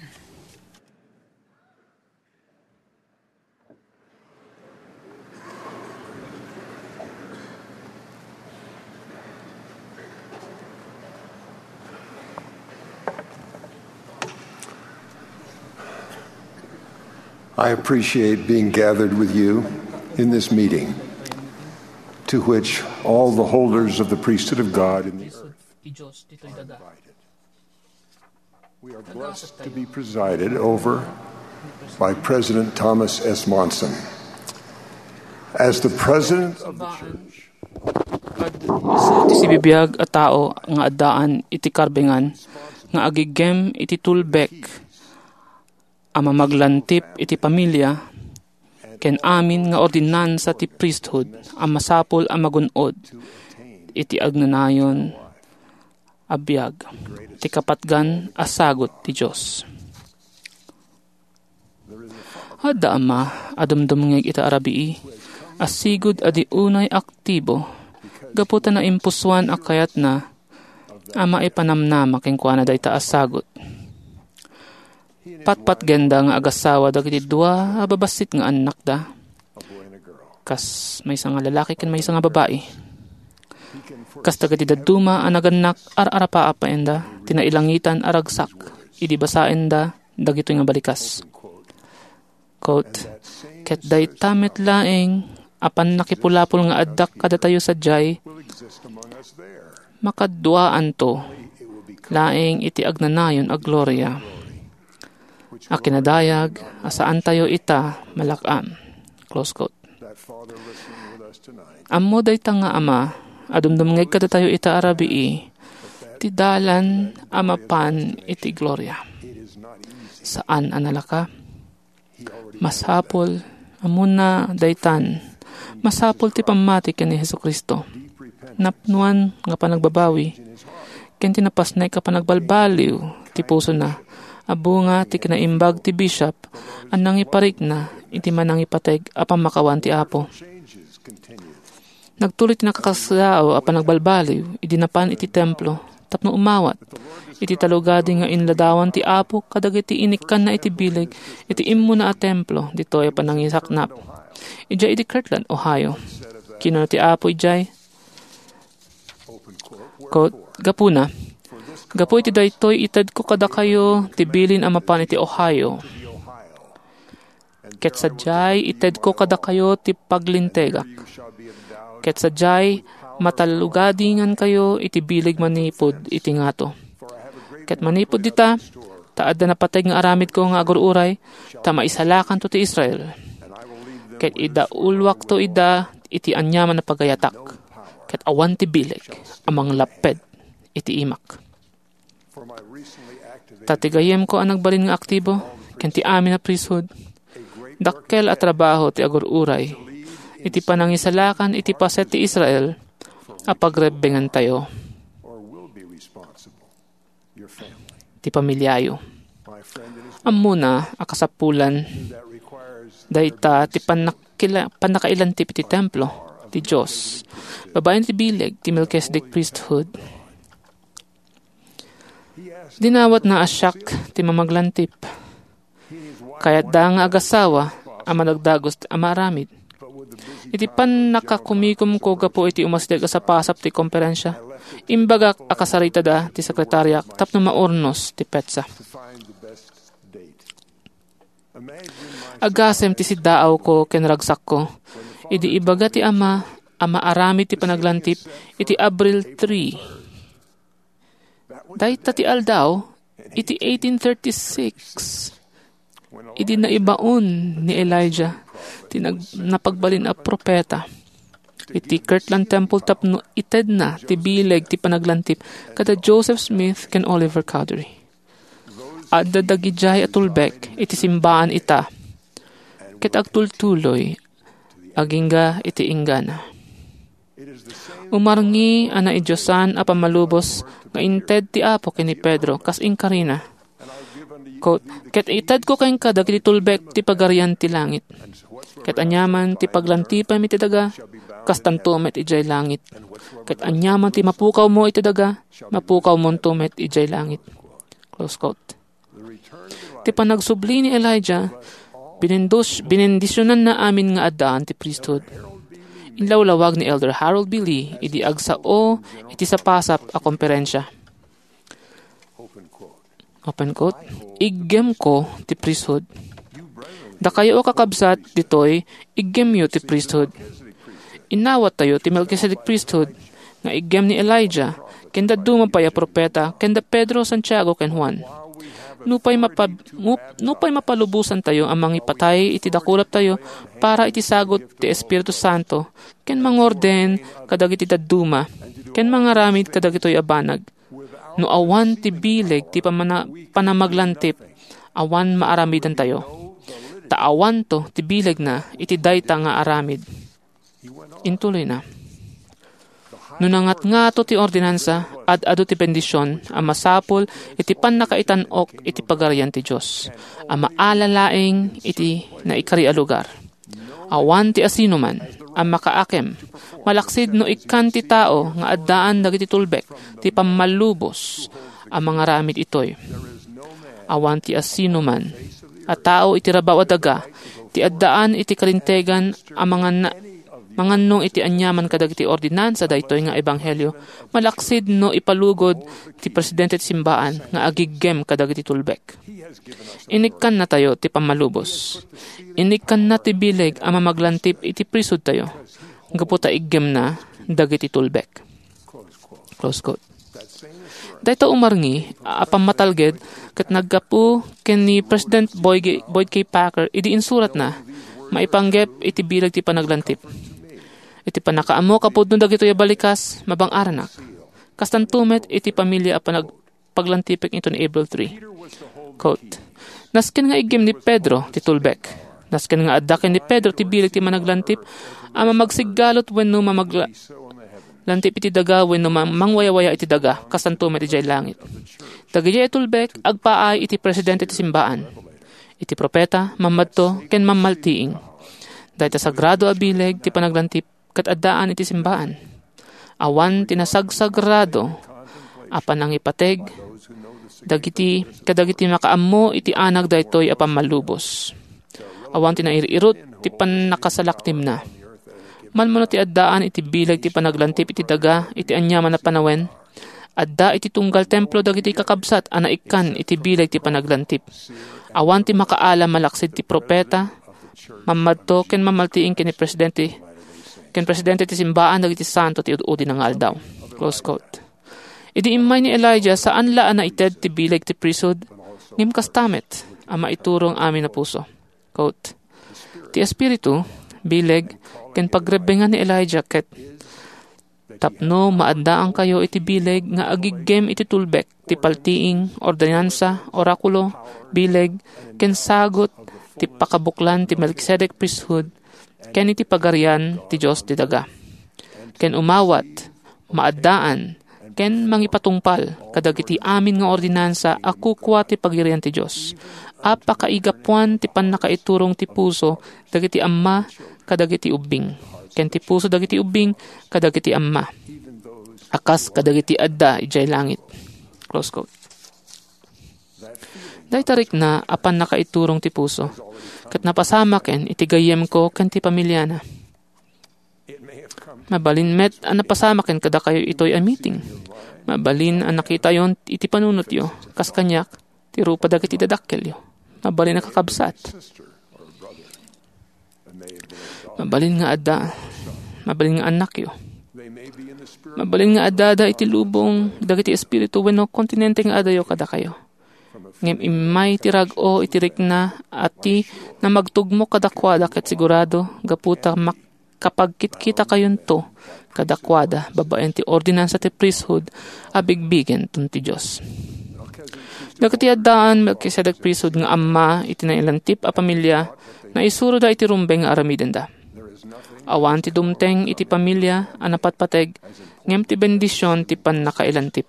I appreciate being gathered with you in this meeting, to which all the holders of the priesthood of God in the earth are invited. We are blessed to be presided over by President Thomas S. Monson. As the president of the church, Isu ti sibibiag a tao nga addaan iti karbengan nga agiggem iti tulbek a mamaglantip iti pamilya ken amin nga ordinansa ti priesthood a masapul a magun-od iti agnanayon a biag ti kapatgan a sagut ti Dios. Adda ama a dumdumngeg ita a rabii a sigud a di unay aktibo gapu ta naimpusoan a kayatna a maipanamnama kenkuana dayta a sagut. Patpatgenda nga agasawa dagiti dua a babassit nga annakda, kas maysa nga lalaki ken maysa nga babai. Kas dagiti dadduma a nagannak, ar-arapaapaenda ti nailangitan a ragsak idi basaenda dagitoy nga balikas. Quote, "Ket dayta met laeng a pannakipulapol nga addak kadatayo sadiay, makaduaanto laeng iti agnanayon a gloria a kinadayag a saantayo ita malak-am." Close quote. Ammo dayta nga ama a dumdumngeg kadatayo ita a rabii ti dalan a mapan iti gloria. Saan a nalaka. Masapul, ammona daytan, masapul ti pammati ken ni Jesu-Cristo. Napnoan nga panagbabawi, ken ti napasnek a panagbalbaliw ti pusona, a bunga ti kinaimbag ti bishop a nangiparikna iti manangipateg a pammakawan ti Apo. Nagtuloy ti nakakasdaaw a panagbalbaliw idi napan iti templo tapno umawat iti talugadi nga inladawan ti Apo kadagiti inikkanna iti bileg iti immuna a templo ditoy a panangisaknap. Idiay idi Kirtland, Ohio. Kinuna ti Apo idiay, quote, "Gapuna, gapu iti daytoy itedko kadakayo ti bilin a mapan iti Ohio. Ket sadiay itedko kadakayo ti paglintegak. Ket sadiay matalugadingankayo iti bileg manipud iti ngato. Ket manipud dita, ta adda napateg nga aramidko nga agur-uray, ta maisalakanto ti Israel. Ket idauluakto ida iti aniaman a pagayatak, ket awan ti bileg a manglapped iti imak." Ta ti gayyemko a nagbalin nga aktibo ken ti amin a priesthood, dakkel a trabaho ti agur-uray iti panangisalakan iti paset ti Israel a pagrebbengantayo, ti pamiliayo. Ammona a kasapulan dayta ti pannakila-, pannakailantip iti templo ti Dios babaen ti bileg ti Melchizedek priesthood. Dinawatna a siak ti mamaglantip. Kayatda nga agasawa a madagdagos a maaramid. Iti pannakakumikomko gapu iti umasdek a sapasap ti komperensia, imbagak a kasaritada ti sekretariak tapno maurnos ti petsa. Agasem ti siddaawko ken ragsakko idi ibaga ti ama a maaramid ti panaglantip iti Abril three. Dayta ti aldaw iti eighteen thirty-six, idi naibaon ni Elijah ti nag-, napagbalin a propeta iti Kirtland Temple tapno itedna ti bileg ti panaglantip kada Joseph Smith ken Oliver Cowdery. Adda dagidiay a tulbek iti simbaan ita, ket agtultuloy agingga iti inggana. Umarngi a naidiosan a pammalubos nga inted ti Apo ken ni Pedro kas inkarina. Quote, "Ket itedko kenka dagiti tulbek ti pagarian ti langit. Ket aniaman ti paglantipem iti daga, kastanto met idiay langit. Ket aniaman ti mapukawmo iti daga, mapukawmonto met idiay langit." Close quote. Ti panagsubli ni Elijah, binendos-, binendisionanna amin nga addaan ti priesthood. Inlawlawag ni Elder Harold B. Lee idi agsao iti sapasap a komperensia. Open quote, "Iggemko ti priesthood." Dakayo a kakabsat, ditoy, iggemyo ti priesthood. Innawattayo ti Melchizedek priesthood nga iggem ni Elijah, ken dadduma pay a propeta, ken da Pedro, Santiago, ken Juan. Nupay mapa-, mup-, nupay mapalubosantayo a mangipatay iti dakulaptayo para iti sagut ti Espiritu Santo, ken mangorden kadagiti dadduma, ken mangaramid kadagitoy a banag, no awan ti bileg ti pamana-, panamaglantip, awan maaramidantayo. Ta awanto ti bilegna iti dayta nga aramid. Intuloyna, "No nangatngato ti ordinansa, ad-adu ti bendision a masapul iti pannakaitan-ok iti Pagarian ti Dios, a maala laeng iti naikari a lugar. Awan ti asinoman a makaakem, malaksid no ikkan ti tao nga addaan dagiti tulbek ti pammallubos a mangaramid itoy. Awan ti asinoman a tao iti rabaw a daga ti addaan iti kalintegan a mangan-, mangannong iti aniaman kadagiti ordinansa daytoy nga ebanghelio, malaksid no ipalugod ti presidente ti simbaan nga agiggem kadagiti tulbek. Inikkannatayo ti pammalubos. Inikkanna ti bileg a mamaglantip iti priesthoodtayo, gapu ta iggemna dagiti tulbek." Close quote. Dayta umarngi a pammatalged ket naggapu ken ni President Boy G-, Boyd K. Packer idi insuratna maipanggep iti bileg ti panaglantip. Iti pannakaammok a pudno dagitoy a balikas, mabang-aranak. Kastanto met iti pamilia a panag-, paglantipek inton April three. Quote, "Nasken nga iggem ni Pedro ti tulbek. Nasken nga adda ken ni Pedro ti bileg ti managlantip a mamagsiggalot wenno mamagla-, lantip iti daga wenno ma-, mangwayawaya iti daga, kastanto met idiay langit. Dagidiay a tulbek, agpaay iti presidente ti simbaan, iti propeta, mammadto, ken mammaltiing. Dayta sagrado a bileg ti panaglantip ket addaan iti simbaan. Awan ti nasagsagrado a panangipateg dagiti, kadagiti makaammo iti anak daytoy a pammalubos. Awan ti nair-irut ti pannakasalaknibna. Malmano ti addaan iti bileg ti panaglantip iti daga iti aniaman a panawen, adda iti tunggal templo dagiti kakabsat a naikkan iti bileg ti panaglantip. Awan ti makaalam malaksid ti propeta, mammadto ken mamaltiing ken ni presidente, ken presidente ti simbaan dagiti santo ti ud-udina nga aldaw. Close quote. Idi immay ni Elijah, saan la a naited ti bileg ti priesthood, ngem kasta met a maiturong amin a puso. Quote, "Ti Espiritu, bileg, ken pagrebbengan ni Elijah ket tapno maaddaankayo iti bileg nga agiggem iti tulbek ti paltiing, ordinansa, orakulo, bileg, ken sagut ti pakabuklan ti Melkisedek priesthood ken iti Pagarian ti Dios ti daga. Ken umawat, maaddaan, ken mangipatungpal kadagiti amin nga ordinansa a kukua ti Pagarian ti Dios, a pakaigapuan ti pannakaiturong ti puso dagiti amma kadagiti ubbing, ken ti puso dagiti ubbing kadagiti amma, a kas kadagiti adda idiay langit." Close quote. Dayta rikna a pannakaiturong ti puso, ket napasamaken iti gayyemko ken ti pamiliana. Mabalin met a napasamaken kadakayo itoy a meeting. Mabalin a nakitayon iti panunotyo, kas kaniak, ti rupa dagiti dadakkelyo. Mabalin a kakabsat. Mabalin nga adda, mabalin nga annakyo. Mabalin nga addada iti lubong dagiti espiritu wenno kontinente nga adayo kadakayo. Ngem immay ti rag-o iti rikna a ti namagtugmo kadakuada ket sigurado gapu ta mak-, kapagkitkitakayonto kadakuada babaen ti ordinansa ti priesthood a bigbigen ti Dios. Dagiti addaan Melkisedek priesthood nga amma iti nailantip a pamilya, naisuroda iti rumbeng nga aramidenda. Awan ti dumteng iti pamilya a napatpateg, ngem ti bendision ti pannakailantip.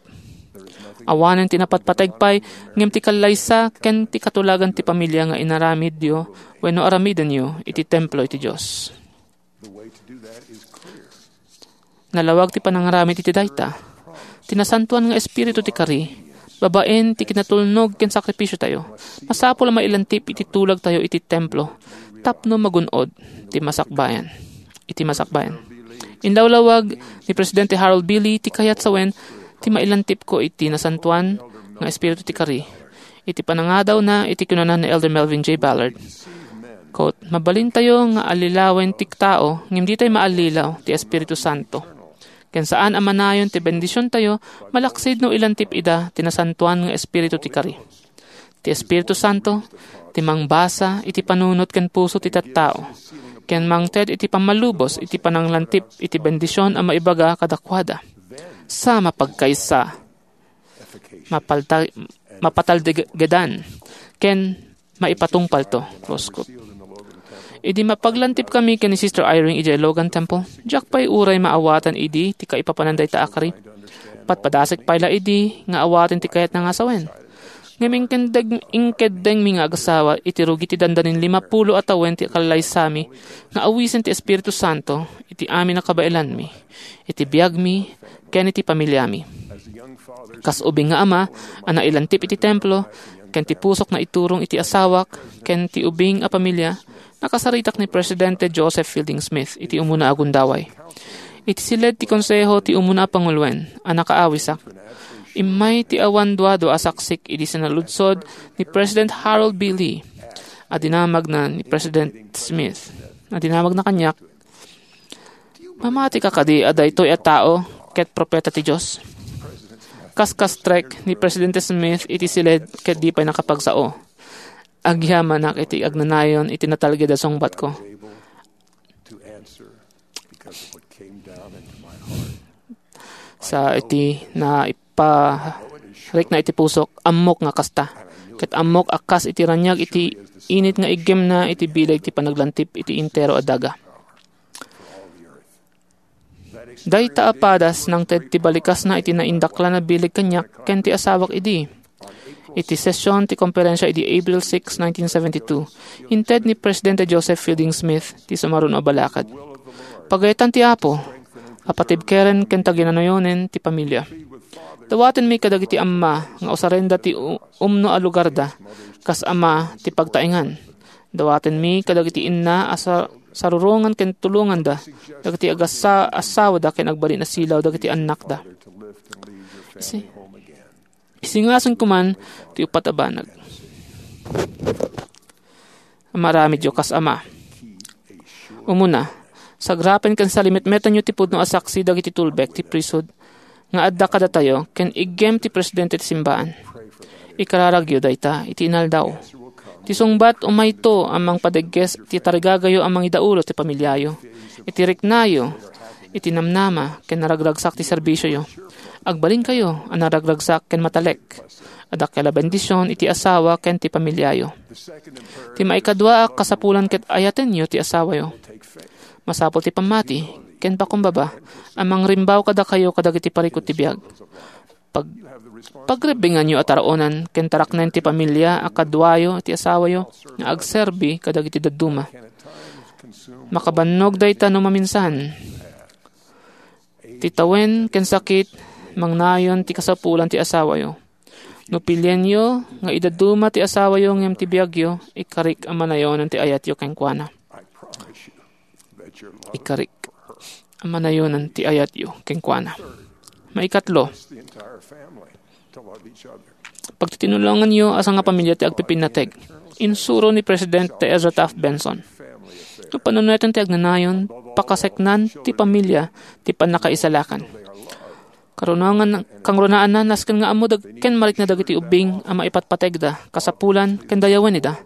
Awanen ti napatpateg pay, ngem ti kallaysa ken ti katulagan ti pamilya nga inaramidyo wenno aramidenyo iti templo iti Dios. Nalawag ti panangaramid iti dayta. Ti Nasantoan nga Espiritu ti kari, babaen ti kinatulnog ken sakripisiotayo, masapul a mailantip iti tulagtayo iti templo tapno magun-od ti masakbayan. Iti masakbayan. Inlawlawag ni Presidente Harold B. Lee ti kayat sawen ti mailantipko iti Nasantoan nga Espiritu ti kari. Iti panangadawna iti kinuna ni Elder Melvin J. Ballard, quote, "Mabalintayo nga allilawen ti tao, ngem ditay maallilaw ti Espiritu Santo. Ken saan a manayon ti bendisiontayo, malaksid no ilantip ida ti Nasantoan nga Espiritu ti kari." Ti Espiritu Santo, ti mangbasa iti panunot ken puso ti tattao, ken mangted iti pammalubos iti pananglantip iti bendision a maibaga kadakuada. Sa mapagkaysa, mapalta-, mapataldegedan, ken maipatungpalto. Close quote. Idi mapaglantip kami ken ni Sister Eyring idiay Logan Temple, diak pay uray maawatan idi ti kaipapanan dayta a kari. Padpadasek pay la idi nga awaten ti kayatna nga sawen. Ngem inkeddeng-, inkeddengmi nga agasawa iti rugi ti dandanin limapulo a tawen ti kallaysami nga awisen ti Espiritu Santo iti amin a kabaelanmi, iti biagmi, ken iti pamiliami. Kas ubing nga ama a nailantip iti templo, ken ti pusok naiturong iti asawak ken ti ubing a pamilya, nakasaritak ni Presidente Joseph Fielding Smith iti umuna a gundaway. Iti siled ti konseho ti umuna a panguloen a nakaawisak, immay ti awan duadua a saksik idi sinaludsod ni President Harold B. Lee a dinamagna ni President Smith, a dinamagna kaniak, "Mamatika kadi a daytoy a tao ket propeta ti Dios?" Kaskastrek ni Presidente Smith iti siled ket di pay nakapagsao. Agyamanak iti agnanayon iti natalged a sungbatko. Sa iti naiparikna iti pusok, ammok nga kasta. Ket ammok a kas iti raniag iti init nga iggemna iti bileg ti panaglantip iti entero a daga. Dayta a padas nangted ti balikasna iti naindaklan a bileg kaniak ken ti asawak idi. Iti session ti komperensia idi April six, nineteen seventy-two, inted ni Presidente Joseph Fielding Smith ti sumaruno a balakad. Pagayetan ti Apo a patibkeren ken taginanayonen ti pamilia. Dawatenmi kadagiti amma nga usarenda ti u-, umno a lugarda kas ama ti pagtaengan. Dawatenmi kadagiti inna a sa-, sarurongan ken tulonganda dagiti agassa-, assawada ken agbalin a silaw dagiti annakda. Isi-, isingasen koman ti uppat a banag. Maaramidyo kas ama. Umuna, sagrapen ken salimetmetanyo ti pudno a saksi dagiti tulbek ti priesthood nga adda kadatayo ken iggem ti presidente ti simbaan. Ikararagyo dayta iti inaldaw. Ti sungbat umayto a mangpadegges ti tarigagayo a mangidaulo ti pamiliayo, iti riknayo, iti namnama, ken naragragsak ti serbisioyo. Agbalinkayo a naragragsak ken matalek. Adda kayat a bendision iti asawa ken ti pamiliayo. Ti maikadua a kasapulan ket ayatenyo ti asawayo. Masapul ti pammati ken pakumbaba a mangrimbaw kadakayo kadagiti parikut ti biag. Pag-, pagrebbinganyo a taraonan ken taraknen ti pamilia a kaduayo ti asawayo nga agserbi kadagiti dadduma. Makabannog dayta no maminsan. Ti tawen ken sakit, mangnayon ti kasapulan ti asawayo. No pilienyo nga idadduma ti asawayo ngem ti biagyo, ikarik a manayonan ti ayatyo kenkuana. Ikarik a manayonan ti ayatyo kenkuana. Maikatlo, pagtitinulonganyo a sangapamilia ti agpipinnateg. Insuro ni Presidente Ezra Taft Benson, "No panuneten ti agnanayon, pakaseknan ti pamilia ti pannakaisalakan." Karunangan, kangrunaanna, nasken nga ammo dag-, ken marikna dagiti ubbing a maipatpategda, kasapulan, ken dayawen ida.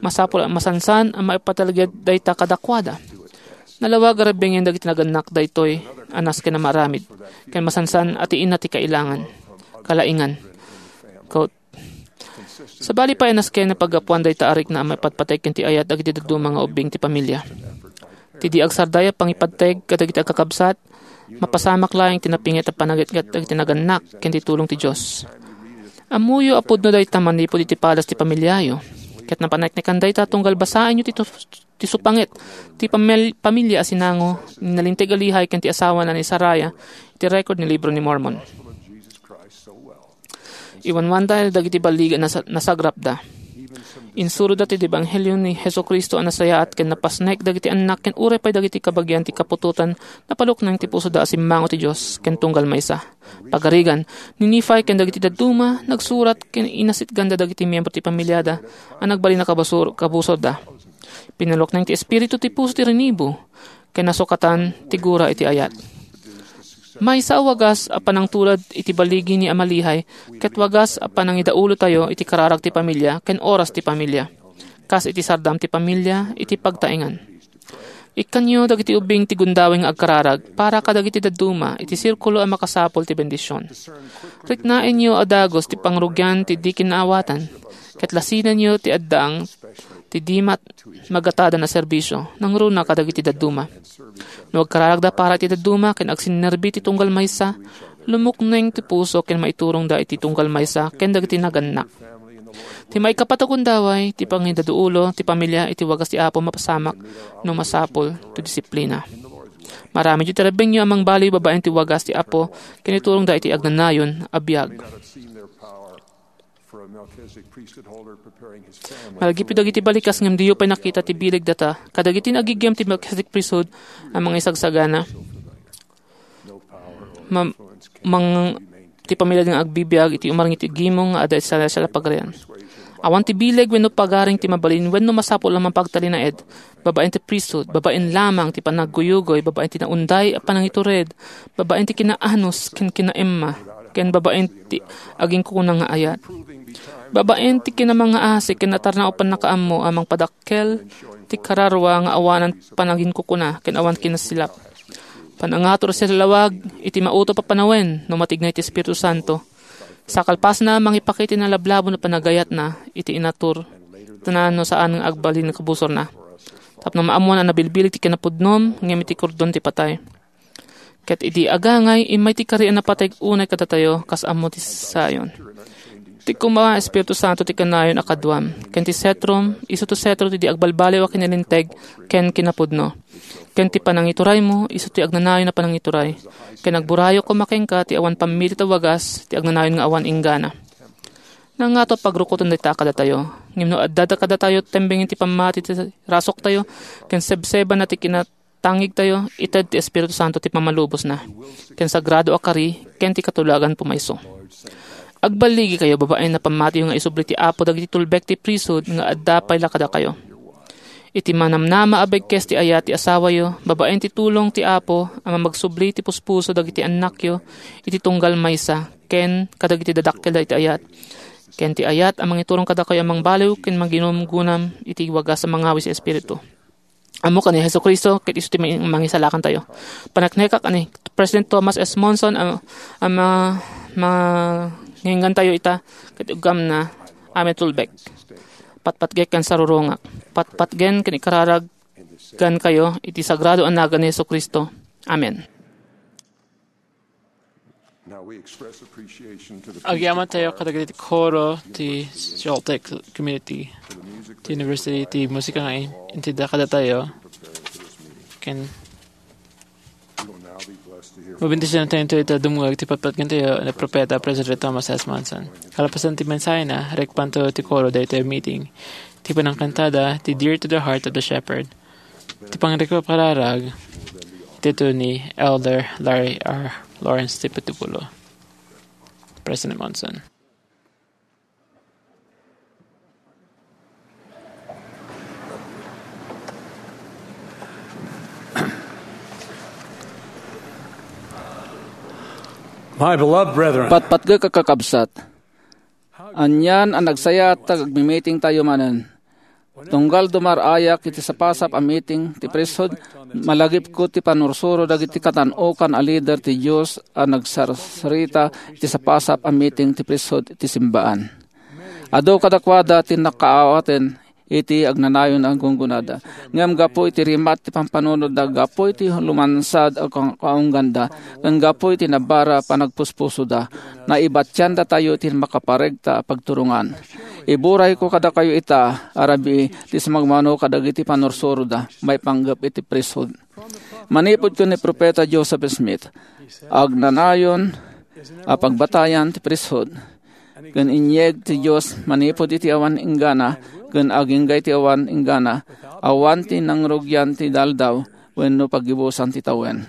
Masapul a masansan a maipatalged dayta kadakuada. Nalawag a rebbenggen dagiti nagannak daytoy a nasken a maaramid, ken masansan a ti inna ti kailangan, kalaingan. Quote, Sabali pay a nasken a paggapuan dayta a rikna a maipatpateg ken ti ayat dagiti dadduma nga ubbing ti pamilia. Ti di agsardaya a pangipateg kadagiti agkakabsat, mapasamak laeng ti napinget a panagitgat dagiti nagannak ken ti tulong ti Dios. Ammoyo a pudno dayta manipud iti padas ti pamiliayo, ket napaneknekan dayta tunggal basaenyo ti tus-, ti supanget ti pamil-, pamilia a sinango ni nalinteg a Lehi ken ti asawana ni Sariah iti record ni Libro ni Mormon. Iwanwanda dagiti ballig a nasa-, nasagrapda. Insuroda ti ebanghelio ni Jesu-Cristo a nasayaat ken napasnek dagiti annak ken uray pay dagiti kabagian ti kaputotan, napalukneng ti pusoda a simmango ti Dios ken tunggal maysa. Pagarigan, ni Nephi ken dagiti dadduma, nagsurat ken inasitganda dagiti miyembro ti pamiliada a nagbalin a kabasur-, kabusorda. Pinalukneng ti Espiritu ti puso ti rinibo, ken nasukatan ti gura iti ayat. Maysa a wagas a panangtulad iti baligi ni Ama Lehi, ket wagas a panangidaulotayo iti kararag ti pamilia ken oras ti pamilia, kas iti sardam ti pamilia iti pagtaengan. Ikkanyo dagiti ubbing ti gundaway nga agkararag para kadagiti dadduma iti sirkulo a makasapul ti bendision. Riknaenyo a dagus ti pangrugian ti di kinaawatan, ket lasinenyo ti addaang ti di mat-, magatadan a serbisio, nangruna kadagiti dadduma. No agkararagda para iti dadduma ken agsinnerbi ti tunggal maysa, lumukneng ti puso ken maiturongda iti tunggal maysa ken dagiti nagannak. Ti maikapat a gundaway, ti pangidaulo ti pamilia iti wagas ti Apo mapasamak no masapul ti disiplina. Maramidyo ti rebbengyo a mangbaliw babaen ti wagas ti Apo ken iturongda iti agnanayon a biag. Malagipyo dagiti balikas ngem diyo pay nakita ti bileg data kadagiti naagiggem ti Melchizedek Priesthood a mangaisagsagana. Ma-, mang-, ti pamilya nga agbibiag iti umarang iti gimong nga adda iti celestial a pagarian. Awan ti bileg wenno pagaring ti mabalin wenno masapul a mapagtalinaed babaen ti priesthood, babaen lamang ti panagguyugoy, babaen ti naunday a panangitured, babaen ti kinaanus ken kinaemma, ken babaen ti aginkukuna nga ayat. Babaen ti kinamangngaasi ken natarnaw a pannakaammo a mangpadakkel ti kararua nga awanan panaginkukuna ken awan kinasilap. Panangatur a silawag iti mautop a panawen no matignay ti Espiritu Santo. Sa kalpasna, mangipakita ti nalablabon a panagayatna iti inatur tanan no saan nga agbalin kabusorna. Tapno maammoan a nabilbileg ti kinapudnom ngem iti kordon ti patay. Ket idi agangay, immay ti kari a napateg unay kadatayo kas ammo ti Zion. Ti koma, Espiritu Santo, ti kanayon a kaduam, ken ti setrom, isu ti setro ti di agbalbaliw a kinalinteg ken kinapudno. Ken ti panangituraymo, isu ti agnanayon a panangituray. Ken agburayo koma kenka ti awan pammilit a wagas, ti agnanayon nga awan inggana. Nangato a pagrukoten dayta kadatayo. Ngem no adda kadatayo tembeng ti pammati ti rasoktayo, ken sebsebana ti kinatangigtayo, ited ti Espiritu Santo ti pammalubosna, ken sagrado a kari, ken ti katulagan pumayso. Agballigikayo babaen a pammatiyo nga isubli ti Apo dagiti tulbek ti priesthood nga adda pay la kadakayo. Iti manamnama a bekkes ti ayat ti asawayo, babaen ti tulong ti Apo a mamagsubli ti puspuso dagiti annakyo iti tunggal maysa, ken kadagiti dadakkel dagiti ayat, ken ti ayat a mangiturong kadakayo a mangbaliw ken manginumgunam iti wagas a mangawis a espiritu. Ammo ken ni Jesu-Cristo, ket isu ti mang-, mangisalakantayo. Paneknekak ani President Thomas S. Monson a, a ma-, manginggantayo ita, ket uggamna, amin tulbek. Patpatgek ken sarurungak. Patpatgen ken ikararaggankayo iti sagrado a nagan ni Jesu-Cristo. Amen. Now we express appreciation to the Agyaman tayo kadagiti koro ti Celtic Community ti University ti Musika nga in-, intedda kadatayo. Ken We will now be blessed to hear from mabendisyon tayo ita dumngeg ti patpatgen tayo ni Propeta President Thomas S. Monson. Kalapasan ti mensahena, rikpanto ti koro daytoy meeting. Ti panangkantada, ti Dear to the Heart of the Shepherd. Ti pangrikararag, ita ni Elder Larry R. Lawrence ti Pitupulo. President Monson. My beloved brethren, patpatgek a kakabsat, anian a nagsayaat ta agmimiting tayo manen. Tunggal dumar-ayak iti sapasap a meeting ti priesthood, malagipko ti panursuro dagiti katan-okan a lider ti Dios a nagsarsarita iti sapasap a meeting ti priesthood iti simbaan. Adu kadakuada ti nakaawaten iti agnanayon a gunggonada. Ngem gapu iti rimat ti pampanunotda, gapu iti lumansad a ka-, kaungganda, ken gapu iti nabara panagpuspusoda, naibatiandatayo ti makaparegta a pagturongan. Iburayko kadakayo ita a rabii ti sumagmamano kadagiti panursuroda maipanggep iti priesthood. Manipud ken ni Propeta Joseph Smith, agnanayon a pagbatayan ti priesthood. Ken inyeg ti Dios manipud iti awan inggana, ken agingga iti awan inggana, awan ti nangrugian ti aldaw wenno paggibusan ti tawen.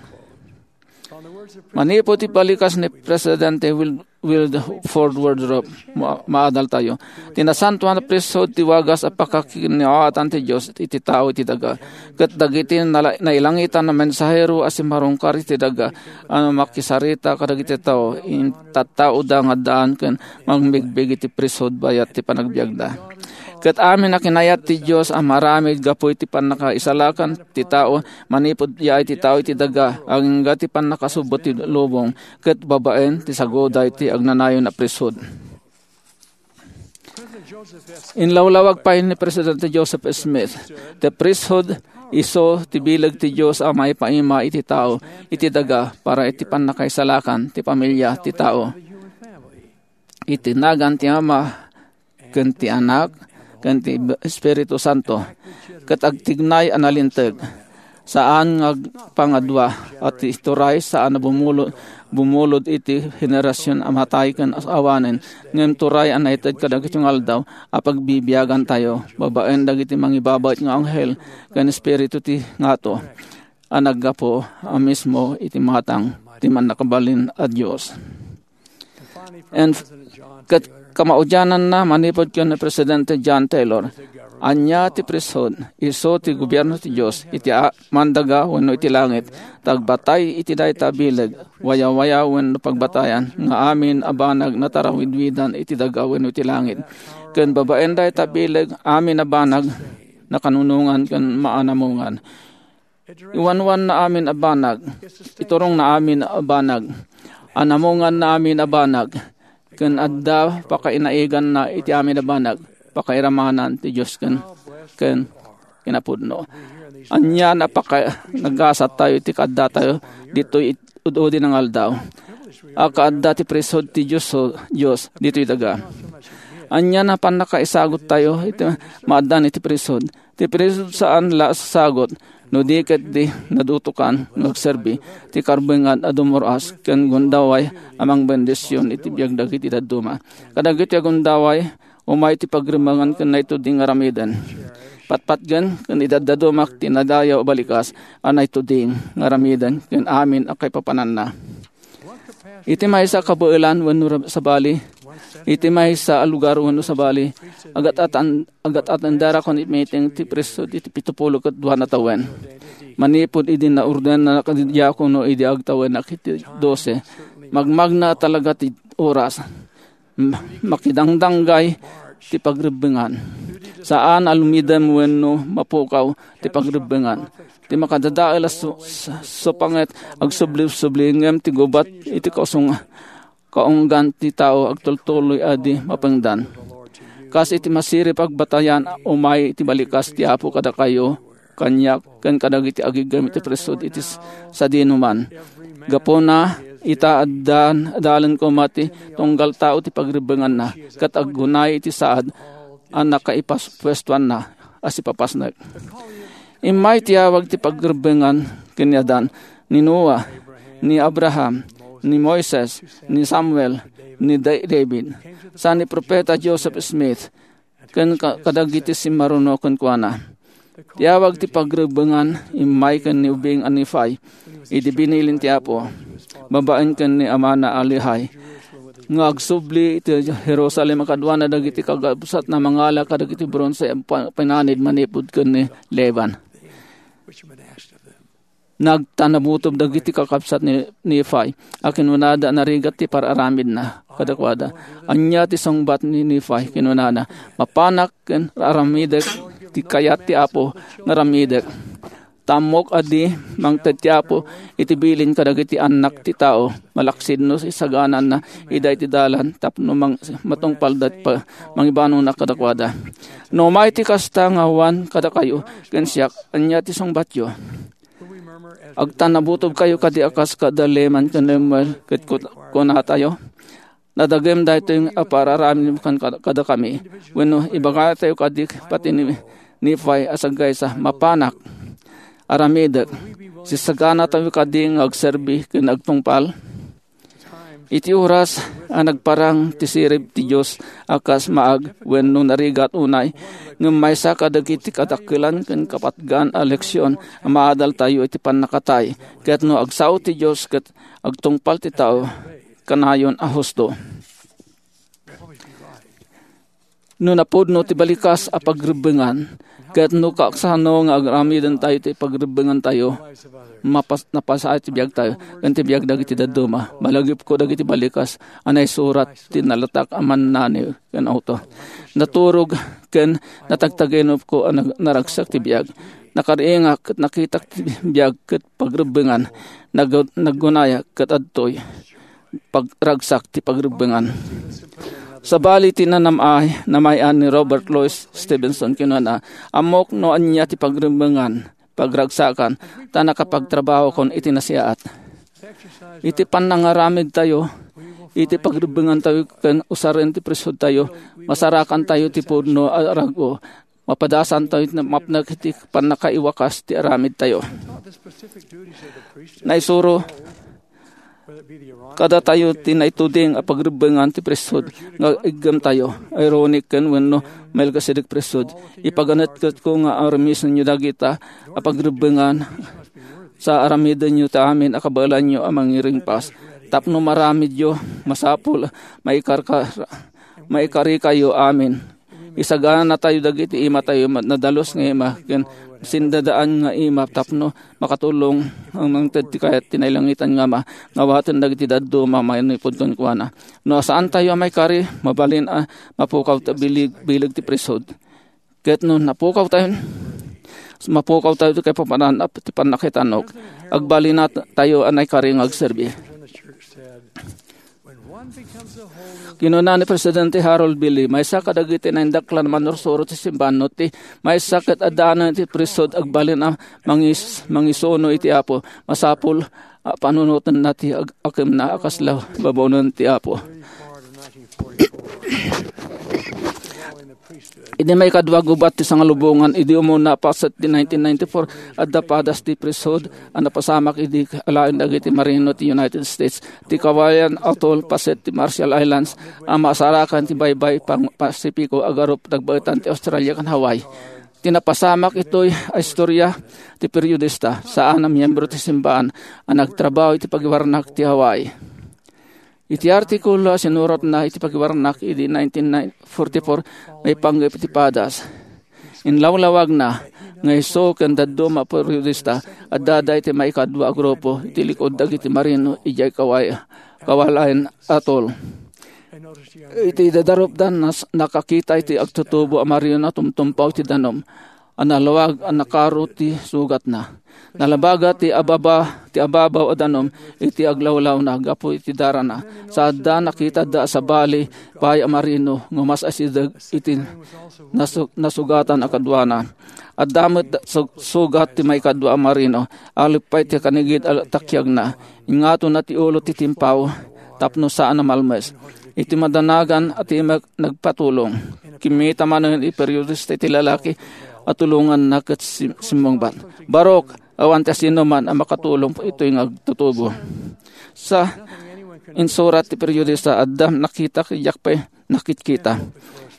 Manipud ti balikas ni Presidente Wil-, Wilford Woodruff, ma-, maadaltayo. Ti nasantoan a priesthood ti wagas a pakakinaawatan ti Dios iti tao iti daga. Ket dagiti nala-, nailangitan a mensahero a simmarungkar iti daga a makisarita kadagiti tao, intattaoda nga addaan ken mangbigbig iti priesthood bayat ti panagbiagda. Ket amin a kinayat ti Dios a maramid gapu iti pannakaisalakan ti tao, manipud yaay ti tao iti daga, agingga ti pannakasubot ti lubong, ket babaen ti saguday ti agnanayon a priesthood. Inlawlawag pay ni Presidente Joseph Smith, ti priesthood isu ti bileg ti Dios a maipaima iti tao, iti daga, para iti pannakaisalakan ti pamilia ti tao. Iti nagan ti Ama, ken ti Anak, ken ti Espiritu Santo, ket agtignay a nalinteg. Saan nga agpangadua a ti turay saan a bumulod, bumulod iti henerasion a matay ken awanen, ngem turay a naited kadagiti nga aldaw a pagbibiagantayo babaen dagiti mangibabait nga anghel ken espiritu ti ngato a naggapu a mismo iti matang ti Mannakabalin a Dios. And ket kamaudiananna, manipud ken ni Presidente John Taylor, ania ti priesthood? Isu ti gobierno ti Dios iti a-, mandaga wenno iti langit. Ta agbatay iti dayta a bileg, wayawaya wenno pagbatayan nga amin a banag natarawidwidan iti daga wenno iti langit. Ken babaen dayta a bileg, amin a banag nakanunongan ken maanamongan. Iwanwanna amin a banag, iturongna amin a banag, anamonganna amin a banag, ken adda pakainaiganna iti amin a banag, pakairamanan ti Dios ken, ken kinapudno. Ania a paka-, nagasat tayo iti kaadda tayo ditoy it-, ud-udi nga aldaw. a kaadda ti priesthood ti Dios, Dios ditoy daga. Ania a pannakaisaguttayo iti maaddan iti priesthood? Ti priesthood saan la a sasagut, no di ket di nadutokan nga agserbi ti karbengan a dumur-as ken gundaway a mangbendision iti biag dagiti dadduma. Kadagiti agundaway, umay ti pagrimmengan ken naituding nga aramiden. Patpatgen ken idaddadumak ti nadayaw a balikas a naituding nga aramiden ken amin a kaipapananna. Iti maysa a kabaelan wenno ra-, sabali, iti maysa a lugar wenno sabali, agat-atan-, agat-atendarakon iti meeting ti priesthood iti pitupulo ket dua a tawen. Manipud idi naordenanak a diakono idi agtawennak iti dose, magmagna talaga ti oras. M-, makidangdanggay ti pagrebbengan. Saan a lumidem wenno mapukaw ti pagrebbengan. Ti makadadael a su-, s-, supanget agsubli-subli ngem ti gubat iti kausong-, kaunggan ti tao agtultuloy a di mapengdan. Kas iti masirib a pagbatayan, umay ti balikas ti Apo kadakayo, kaniak, ken kadagiti agiggam iti priesthood iti s-, sadinoman. Gapuna, ita addan, adalen koma ti tunggal tao ti pagrebbenganna, ket aggunay iti saad a nakaipas-, puestuanna a sipapasnek. Immay ti awag ti pagrebbengan ken ni Adan, ni Noa, ni Abraham, ni Moises, ni Samuel, ni Da-, David, sa ni Profeta Joseph Smith, ken ka-, kadagiti simmaruno kenkuana. Ti awag ti pagrebbengan immay ken ni ubing a Nefi, idi binilin ti Apo, babaen ken ni amana a Lehi, nga agsubli iti Jerusalem a kaduana dagiti kakabsatna mangala kadagiti bronse a pa-, pinanid manipud ken ni Leban. Nagtanabutob dagiti kakabsat ni Nefi a kinunada a narigat ti par-aramidna kadakuada. Ania ti sungbat ni Nefi? Kinunana, "Mapanak ken aramidek ti kayat ti Apo nga aramidek. Ta ammok a di mangted ti Apo iti bilin kadagiti annak ti tao, malaksid no isagananna ida iti dalan tapno mang-, matungpalda ti pa-, mangibanona kadakuada." No umay ti kasta nga awan kadakayo ken siak, ania ti sungbatyo? Agtanabutob kayo kadi a kas kada Leman ken Lemuel, ket kut-, kunatayo, "Nadagem daytoy a par-aramidem kan-, kad-, kadakami." Wenno ibagatayo kadi pati ni Nefi a sagaysa, "Mapanak, aramidek." Sisaganatayo kadi nga agserbi ken agtungpal? Iti oras a nagparang ti sirib ti Dios a kas maag wenno narigat unay, ngem maysa kadagiti kadakkelan ken kapatgan a leksion a maadaltayo iti pannakatay, ket no agsao ti Dios ket agtungpal ti tao, kanayon a husto. No napudno ti balikas a pagrebbengan, ket no kasano nga aramidentayo ti pagrebbengantayo, mapas-, napasayo ti biagtayo ken ti biag dagiti dadduma. Malagipko dagiti balikas a naisurat ti nalatak a mannani ken awto. Naturog ken natagtaginupko a nag-, naragsak ti biag. Nakaringak ket nakitak ti biag ket pagrebbengan. Nag-, naggunayak ket adtoy pagragsak ti pagrebbengan. Sabali ti nanam-ay, namay-an ni Robert Louis Stevenson, kinuna, "Ammok no ania ti pagrebbengan, pagragsakan, ta nakapagtrabahokon iti nasiaat." Iti pannangaramidtayo, iti pagrebbengantayo ken usaren ti priesthoodtayo, masarakantayo ti pudno a rag-o, mapadasantayo ti mapnek iti pannakaiwakas ti aramidtayo. Naisuro kadatayo ti naituding a pagrebbengan ti priesthood nga iggemtayo, Aaronic ken wenno Melchizedek priesthood. Ipaganetketko nga aramisenyo dagita a pagrebbengan sa aramidenyo ti amin a kabaelanyo a mangiringpas. Tapno maramidyo, masapul, maikarka-, maikarikayo amin. Isaganatayo dagiti imatayo ma-, nadalus nga ima ken sindadaan nga ima tapno makatulong a mangted ti kayat ti nailangitan nga Ama nga awaten dagiti dadduma a manipud kenkuana. No saantayo a maikari, mabalin a mapukawtayo bileg, bileg ti priesthood. Ket no napukawtayo, mapukawtayo ti kaipapanan a ti pannakaitanok. Agbalinatayo a naikari nga agserbi. Kinuna ni Presidente Harold B. Lee, "Maysa kadagiti naindaklan a mannursuro ti simbahan no ti maysa ket addaanan iti priesthood agbalin a mangis-, mangisuno iti Apo, masapul a panunotenna ti ag-, akemna a kasla babaonen ti Apo. Idi maikadua gubat ti sangalubongan, idi umuna paset ti nineteen ninety-four, adda padas ti priesthood a napasamak idi alaen dagiti marino ti United States. Ti Kawayan Atoll paset ti Marshall Islands a masarakan ti baybay pang-, Pasifiko a garup nagbaetan ti Australia ken Hawaii. Ti napasamak itoy a istorya ti periodista, saan a miyembro ti simbaan a nagtrabaho iti pagiwarnak ti Hawaii. Iti artikulo a sinuratna iti pagiwarnak idi nineteen forty-four, maipanggep iti padas. Inlawlawagna nga isu ken dadduma a periodista adda iti maikadua a grupo iti likud dagiti marino idiay Kaway-, Kawayan Atoll. Iti dadarupda, nas-, nakakita iti agtutubo a marino a tumtumpaw iti danum a nalawag a nakaro ti sugatna. Nalabaga ti ababa, ti ababaw a danum iti aglawlawna gapu iti darana. Sa adda, nakitada a sabali pay a marino nga umas-asideg iti nasu-, nasugatan a kaduana. Adda met su-, sugat ti maikadua a marino. Alip pay ti kanigid a takiagna. Ingatonna ti ulo ti timpaw tapno saan a malmes. Iti madanagan a timek nagpatulong. Kimmita manen ti periodista iti lalaki a tulonganna ket sim-, simmungbat, "Barok, awan ti asinoman a makatulong itoy nga agtutubo." Sa insurat ti periodista, adda nakita, diak pay nakitkita.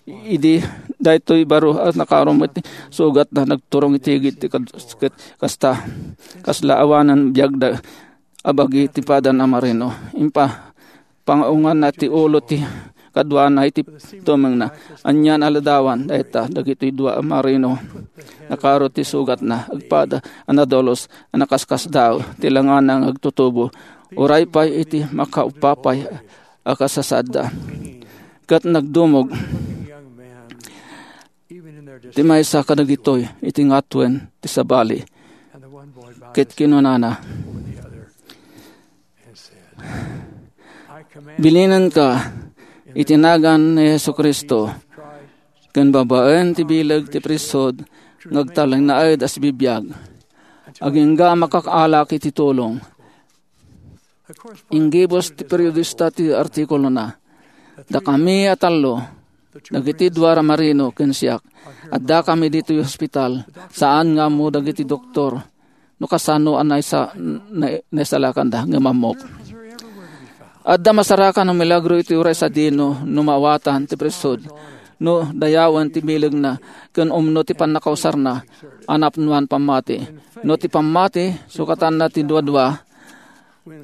Idi daytoy baro a nakarum iti sugatna, nagturong iti igid ti kad-, ket kasta, kasla awanen biagda a bagi ti padan a marino. Impa-, pangaunganna ti ulo ti kaduana iti tumengna. Anian a ladawan dayta dagitoy dua a marino. Nakaro ti sugatna, agpada a nadulus a nakaskasdaaw ti langana nga agtutubo, uray pay iti makaupapay a kasasaadda. Ket nagdumog ti maysa kadagitoy iti ngatuen ti sabali, ket kinunana, "Bilinenka iti nagan ni Jesu-Cristo ken babaen ti bileg ti priesthood nga agtalinaed a sibibiag, agingga a makakaalak iti tulong." Inggibus ti periodista ti artikulona, "Dakami a tallo, dagiti dua a marino ken siak, addakami ditoy ospital, saan nga ammo dagiti doktor no kasano a naisa-, na-, naisalakanda ngem ammok. Adda masarakan a milagro iti uray sadino no maawatan ti priesthood, no dayawen ti bilegna, ken umno ti pannakausarna a napnoan pammati. No ti pammati, sukatanna ti dua-dua,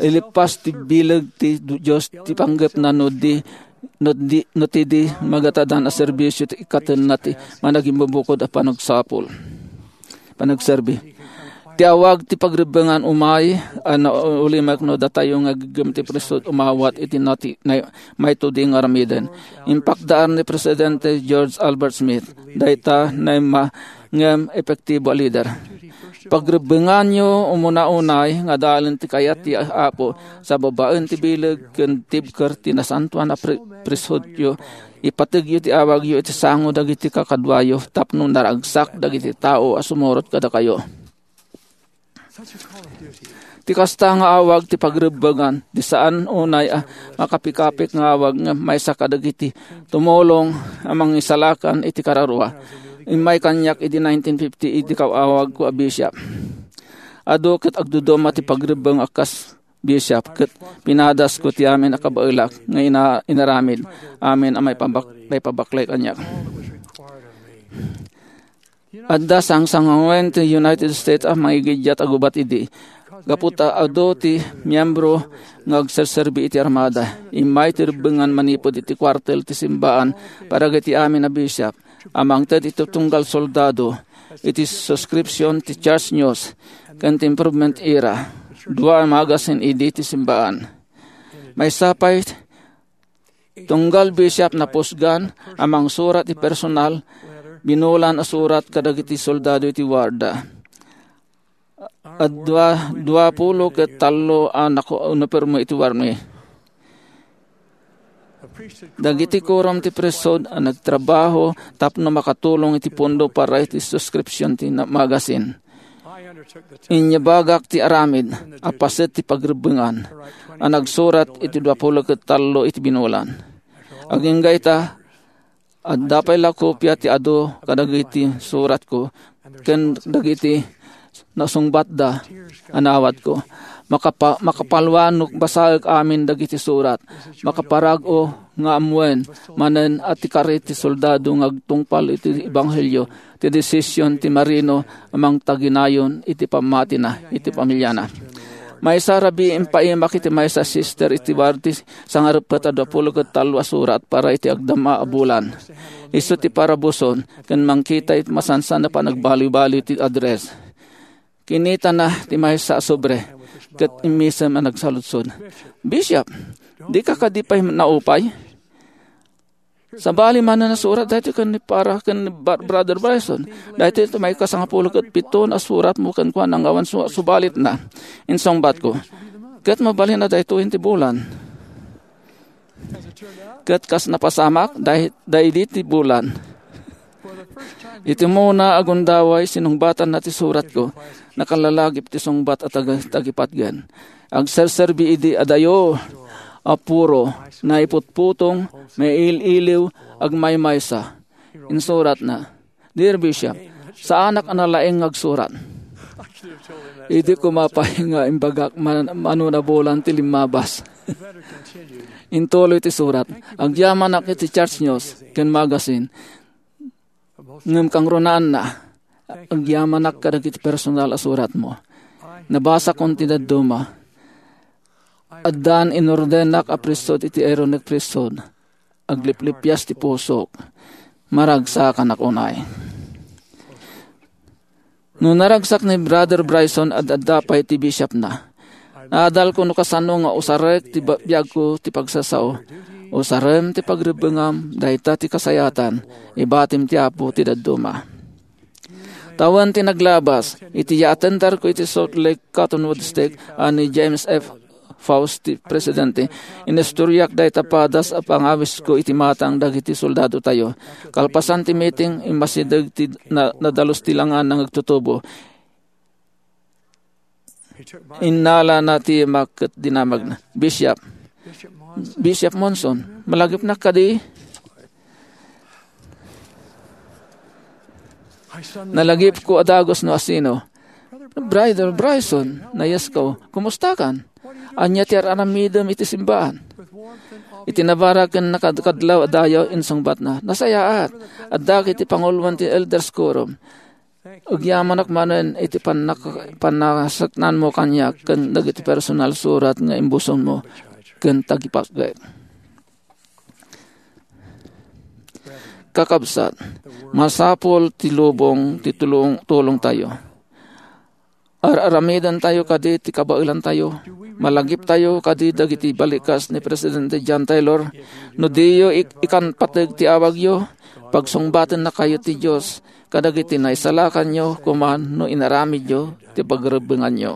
ilippas ti bileg ti Dios ti panggepna no di, no di, no ti di magatadan a serbisio ti ikkatenna ti managimbubukud a panagsapul." Panagserbi. Ti awag ti pagrebbengan umay a naulimek no datayo nga agem ti priesthood umawat iti nati-, nay-, mayto di nga aramiden. Impakdaan ni Presidente George Albert Smith, dayta naimma ngem epektibo a lider. Pagrebbenganyo umuna unay nga adalen ti kayat ti Apo sa babaen ti bileg ken tibker ti nasantoan a pri-, priesthoodyo. Ipategyo ti awagyo iti sango dagiti kakaduayo tapno naragsak dagiti tao a sumurot kadakayo. Ti kasta nga awag ti pagrebbengan, di saan unay a makapikapik nga awag nga maysa kadagiti tumulong a mangisalakan iti kararua. Immay kaniak idi nineteen fifty idi kaawagko a bishop. Adu ket agduduma ti pagrebbeng a kas bishop, ket pinadasko ti amin a kabaelak nga ina-, inaramid amin a maipabak-, maipabaklay kaniak. Adda sangsangawen ti United States a mangigiddiat a gubat idi. Gapu ta adu ti miyembro nga agserserbi iti armada, immay ti rebbengan manipud iti kuartel ti simbaan para dagiti amin a bishop a mangted iti tunggal soldado iti subscription ti Church News ken ti Improvement Era, dua a magazine idi ti simbaan. Maysa pay, tunggal bishop napusgan a mangsurat ti personal, binulan a surat kadagiti soldado iti warda. Adda dua pulo ket tallo a naku-, napirmo iti warmi. Dagiti kurom ti priesthood a nagtrabaho tapno makatulong iti pundo para iti subscription ti na-, magazine. Inyabagak ti aramid a paset ti pagrebbengan a nagsurat iti duapulo ket tallo iti binulan. Agingga ita, adda pay la kopia ti adu kadagiti suratko ken dagiti nasungbatda a nawadko. Makapa-, makapalwan no basaek amin dagiti surat. Makaparag-o nga ammoen manen a ti kari ti soldado nga agtungpal iti ebanghelio ti desision ti marino a mangtaginayon iti pammatina iti pamiliana. Maysa a rabii, impaimak iti maysa a sister iti barrio ti sangareppet a duapulo ket tallo a surat para iti agdama a bulan. Isu ti parabuson ken mangkita iti masansan a panagbaliwbaliw ti address. Kinitana ti maysa a sobre ket immisem a nagsaludsod, "Bishop, dika kadi pay naupay? Sabali manen a surat daytoy ken ni para ken ni Ba-, Brother Bryson. Daytoy ti maikasangapulo ket pito a suratmo kenkuana nga awan su-, subalitna." Insungbatko, "Ket mabalin a daytoyen ti bulan." Ket kas napasamak, day-, daydi ti bulan. Iti umuna a gundaway, sinungbatanna ti suratko. Nakalalagip ti sungbat a tag-, tagipatgen. Agserserbi idi adayo a puro, naiputputong, mail-iliw, agmaymaysa. Insuratna, "Dear Bishop, saanak a nalaing nga agsurat." Idi koma pay nga imbagak man-, mano a bulan ti limmabas. Intuloy ti surat, "Agyamanak iti Church News ken Magazine. Ngem kangrunaanna, agyamanak kadagiti personal a suratmo. Nabasakon ti dadduma. Addan inordenak a priesthood iti Aaronic priesthood. Agliplipias ti pusok. Maragsakanak unay." No naragsak ni Brother Bryson, ad-adda pay ti bishopna. Naadalko no kasano nga usarek ti ba-, biagko ti pagsasao. "Usarem ti pagrebbengam, dayta ti kasayatan, ibatim ti Apo ti dadduma." Tawen ti naglabas, iti yaatendarko iti Salt Lake Cottonwood Stake a ni James F. Faust ti presidente, inistoriak dayta padas a pangawisko iti matang dagiti soldadotayo. Kalpasan ti meeting, immasideg ti na-, nadalus ti langan nga agtutubo. Innalana ti mak ket dinamagna, "Bishop, Bishop Monson, malagipnak kadi?" Nalagipko a dagus no asino. "Brother Bryson," nayasko, "kumustakan? Ania ti ar-aramidem iti simbaan?" Iti nabara ken nakadkadlaw a dayaw, insungbatna, "Nasayaat. Addak iti panguloen ti Elders Quorum. Agyamanak manen iti pannak-, pannakasaknanmo kaniak ken dagiti personal surat nga imbusongmo ken tagipatgek." Kakabsat, masapul ti lubong ti tulong-, tulongtayo. Ar-aramidentayo kadi ti kabaelantayo? Malagiptayo kadi dagiti balikas ni Presidente John Taylor? No diyo ik-, ikanpateg ti awagyo, pagsungbatan nakayo ti Dios kadagiti naisalakanyo koma no inaramidyo ti pagrebbenganyo.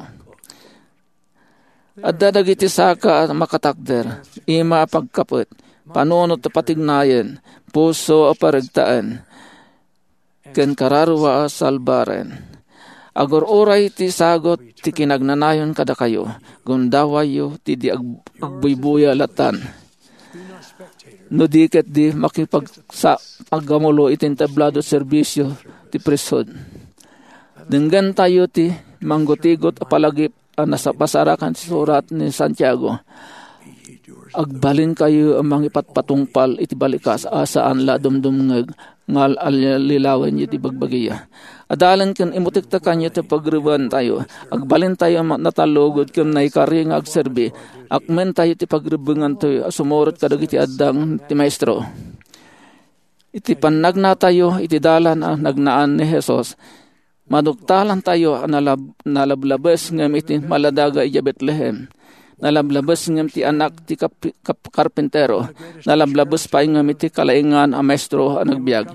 Adda dagiti saka a makatakder, ima a pagkapet, panunot a patignayen, puso a paregtaen, ken kararua a salbaren. Agur-uray ti sagut ti kinagnanayon kadakayo, gundawayyo ti di ag-, agbuybuya latan. No di ket di makipagsa-, aggamulo iti entablado a serbisio ti priesthood. Denggentayo ti manggutigot a palagip a nasa-, nasarakan ti surat ni Santiago. Agbalinkayo a mangipatpatungpal iti balikas a saan la dumdumngeg nga al-, allilawenyo ti bagbagiya. Adalen ken imutektekanyo ti pagrebentayo. Agbalintayo a ma-, natallugod ken naikari nga agserbi. Akmentayo ti pagrebbengantayo a sumurot kadagiti addang ti Maestro. Iti pannagnatayo iti dalan a nagnaan ni Jesus, maduktalantayo a nalab-, nalablabes ngem iti maladaga idiay Betlehem. Nalablabes ngem ti anak ti kap-, kap-, karpintero. Nalablabes pay ngem iti kalaingan a maestro a nagbiag.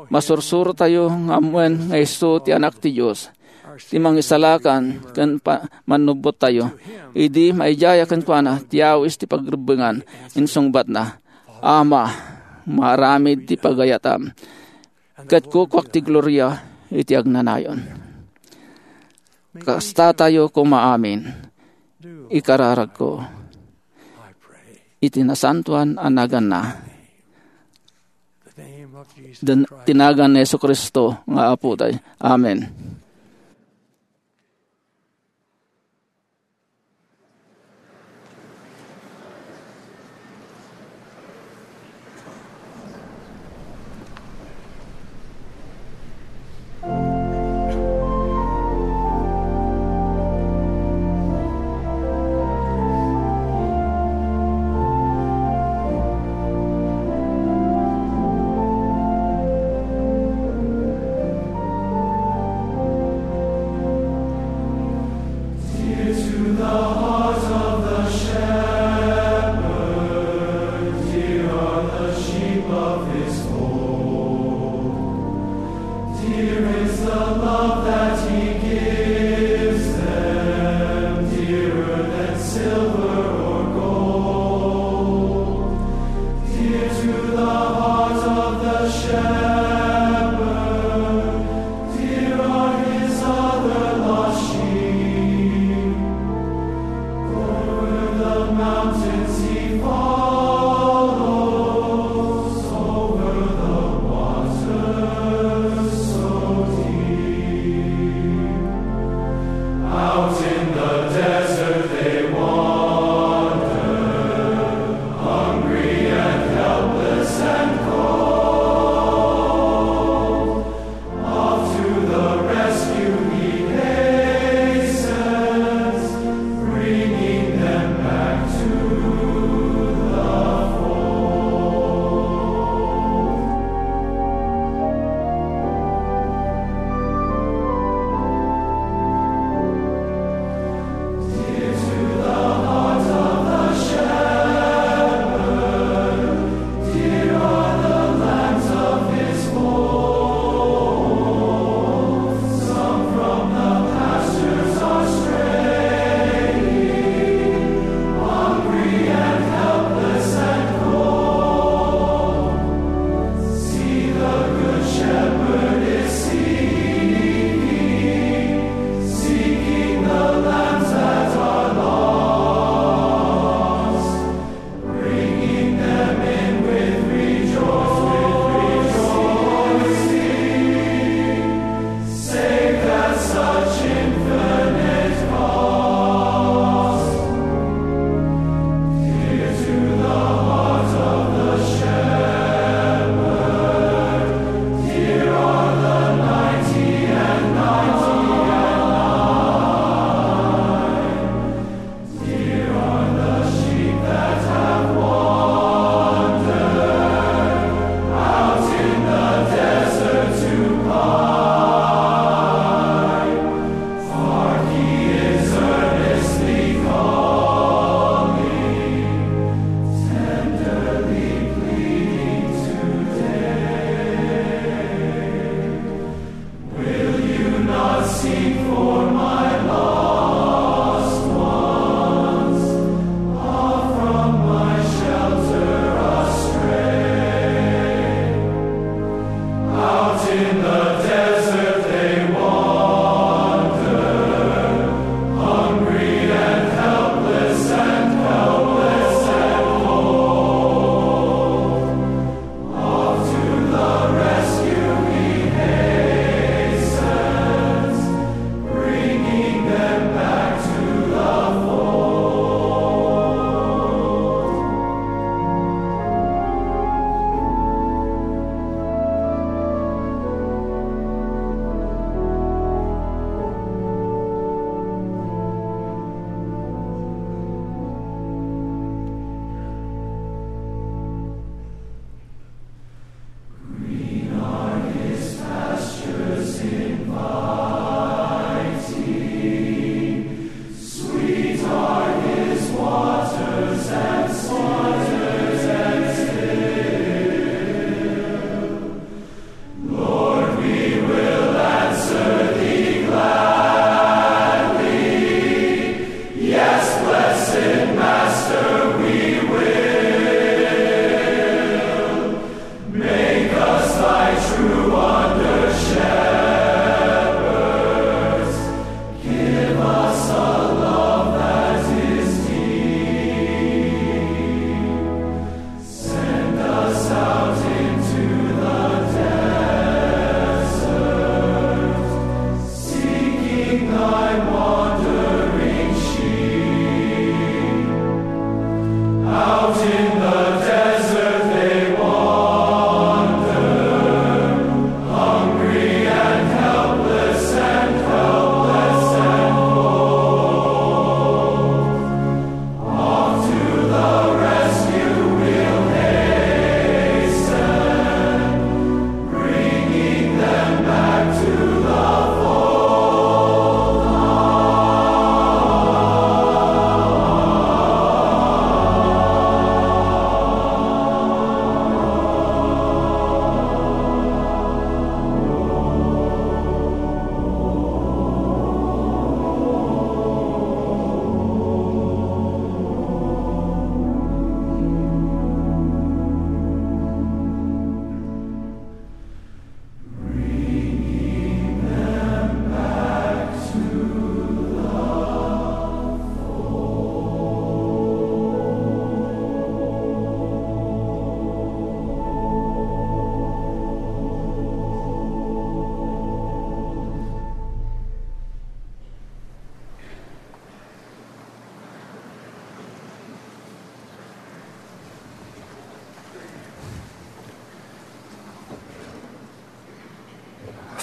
Masursurotayo nga ammoen nga isu ti Anak ti Dios, ti Mangisalakan ken pa-, Mannubbottayo. Idi maidiaya kenkuana ti awis ti pagrebbengan, insungbatna, "Ama, maaramid ti pagayatam, ket kukuak ti gloria iti agnanayon." Kastatayo koma amin, ikararagko, iti nasantoan a naganna. Den ti nagan ni Jesu-Cristo nga Apotayo. Amen.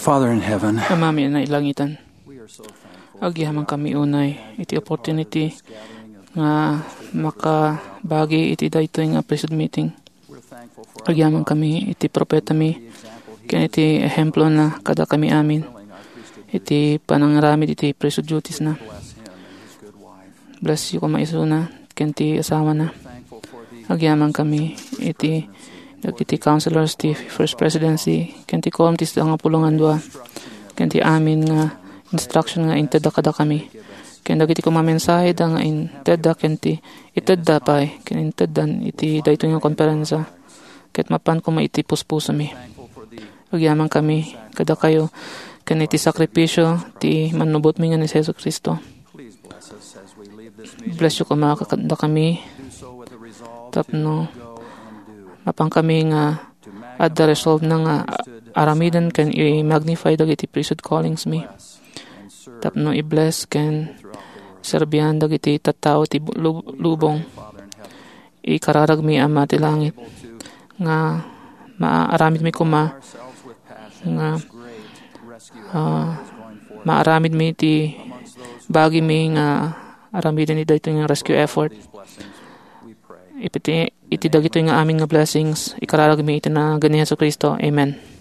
Father in heaven, Amami a nailangitan, we are so thankful agyamankami unay iti opportunity nga makabagi iti daytoy nga priesthood meeting. Agyamankami iti propetami ken iti ehemplo na kadakami amin iti panangaramid iti priesthood duties na. Bless you koma isuna ken ti asawana. Agyamankami iti dagiti counselors ti First Presidency ken ti Quorum ti Sangapolo nga Dua ken ti amin nga instruction nga intedda kadakami ken dagiti koma mensahe da nga intedda ken ti itedda pay ken inteddan iti daytoy nga konferensa ket mapan koma iti puspusomi. Agyamankami kadakayo ken iti sakripisio ti mannubotmi nga ni Jesu-Cristo. Bless you koma kadakami tapno mapankami nga adda resolve na nga aramiden ken i-magnify dagiti priesthood callings mi tapno i-bless ken serbian dagiti tattao ti bu-, lub-, lubong. Ikararagmi, Ama ti langit, nga maaramidmi koma nga, ah, maaramidmi ti bagimi nga aramiden iti daytoy nga rescue effort. Iti, iti dagitoy nga amin nga blessings, ikararagmi iti nagan ni Jesu-Cristo. Amen.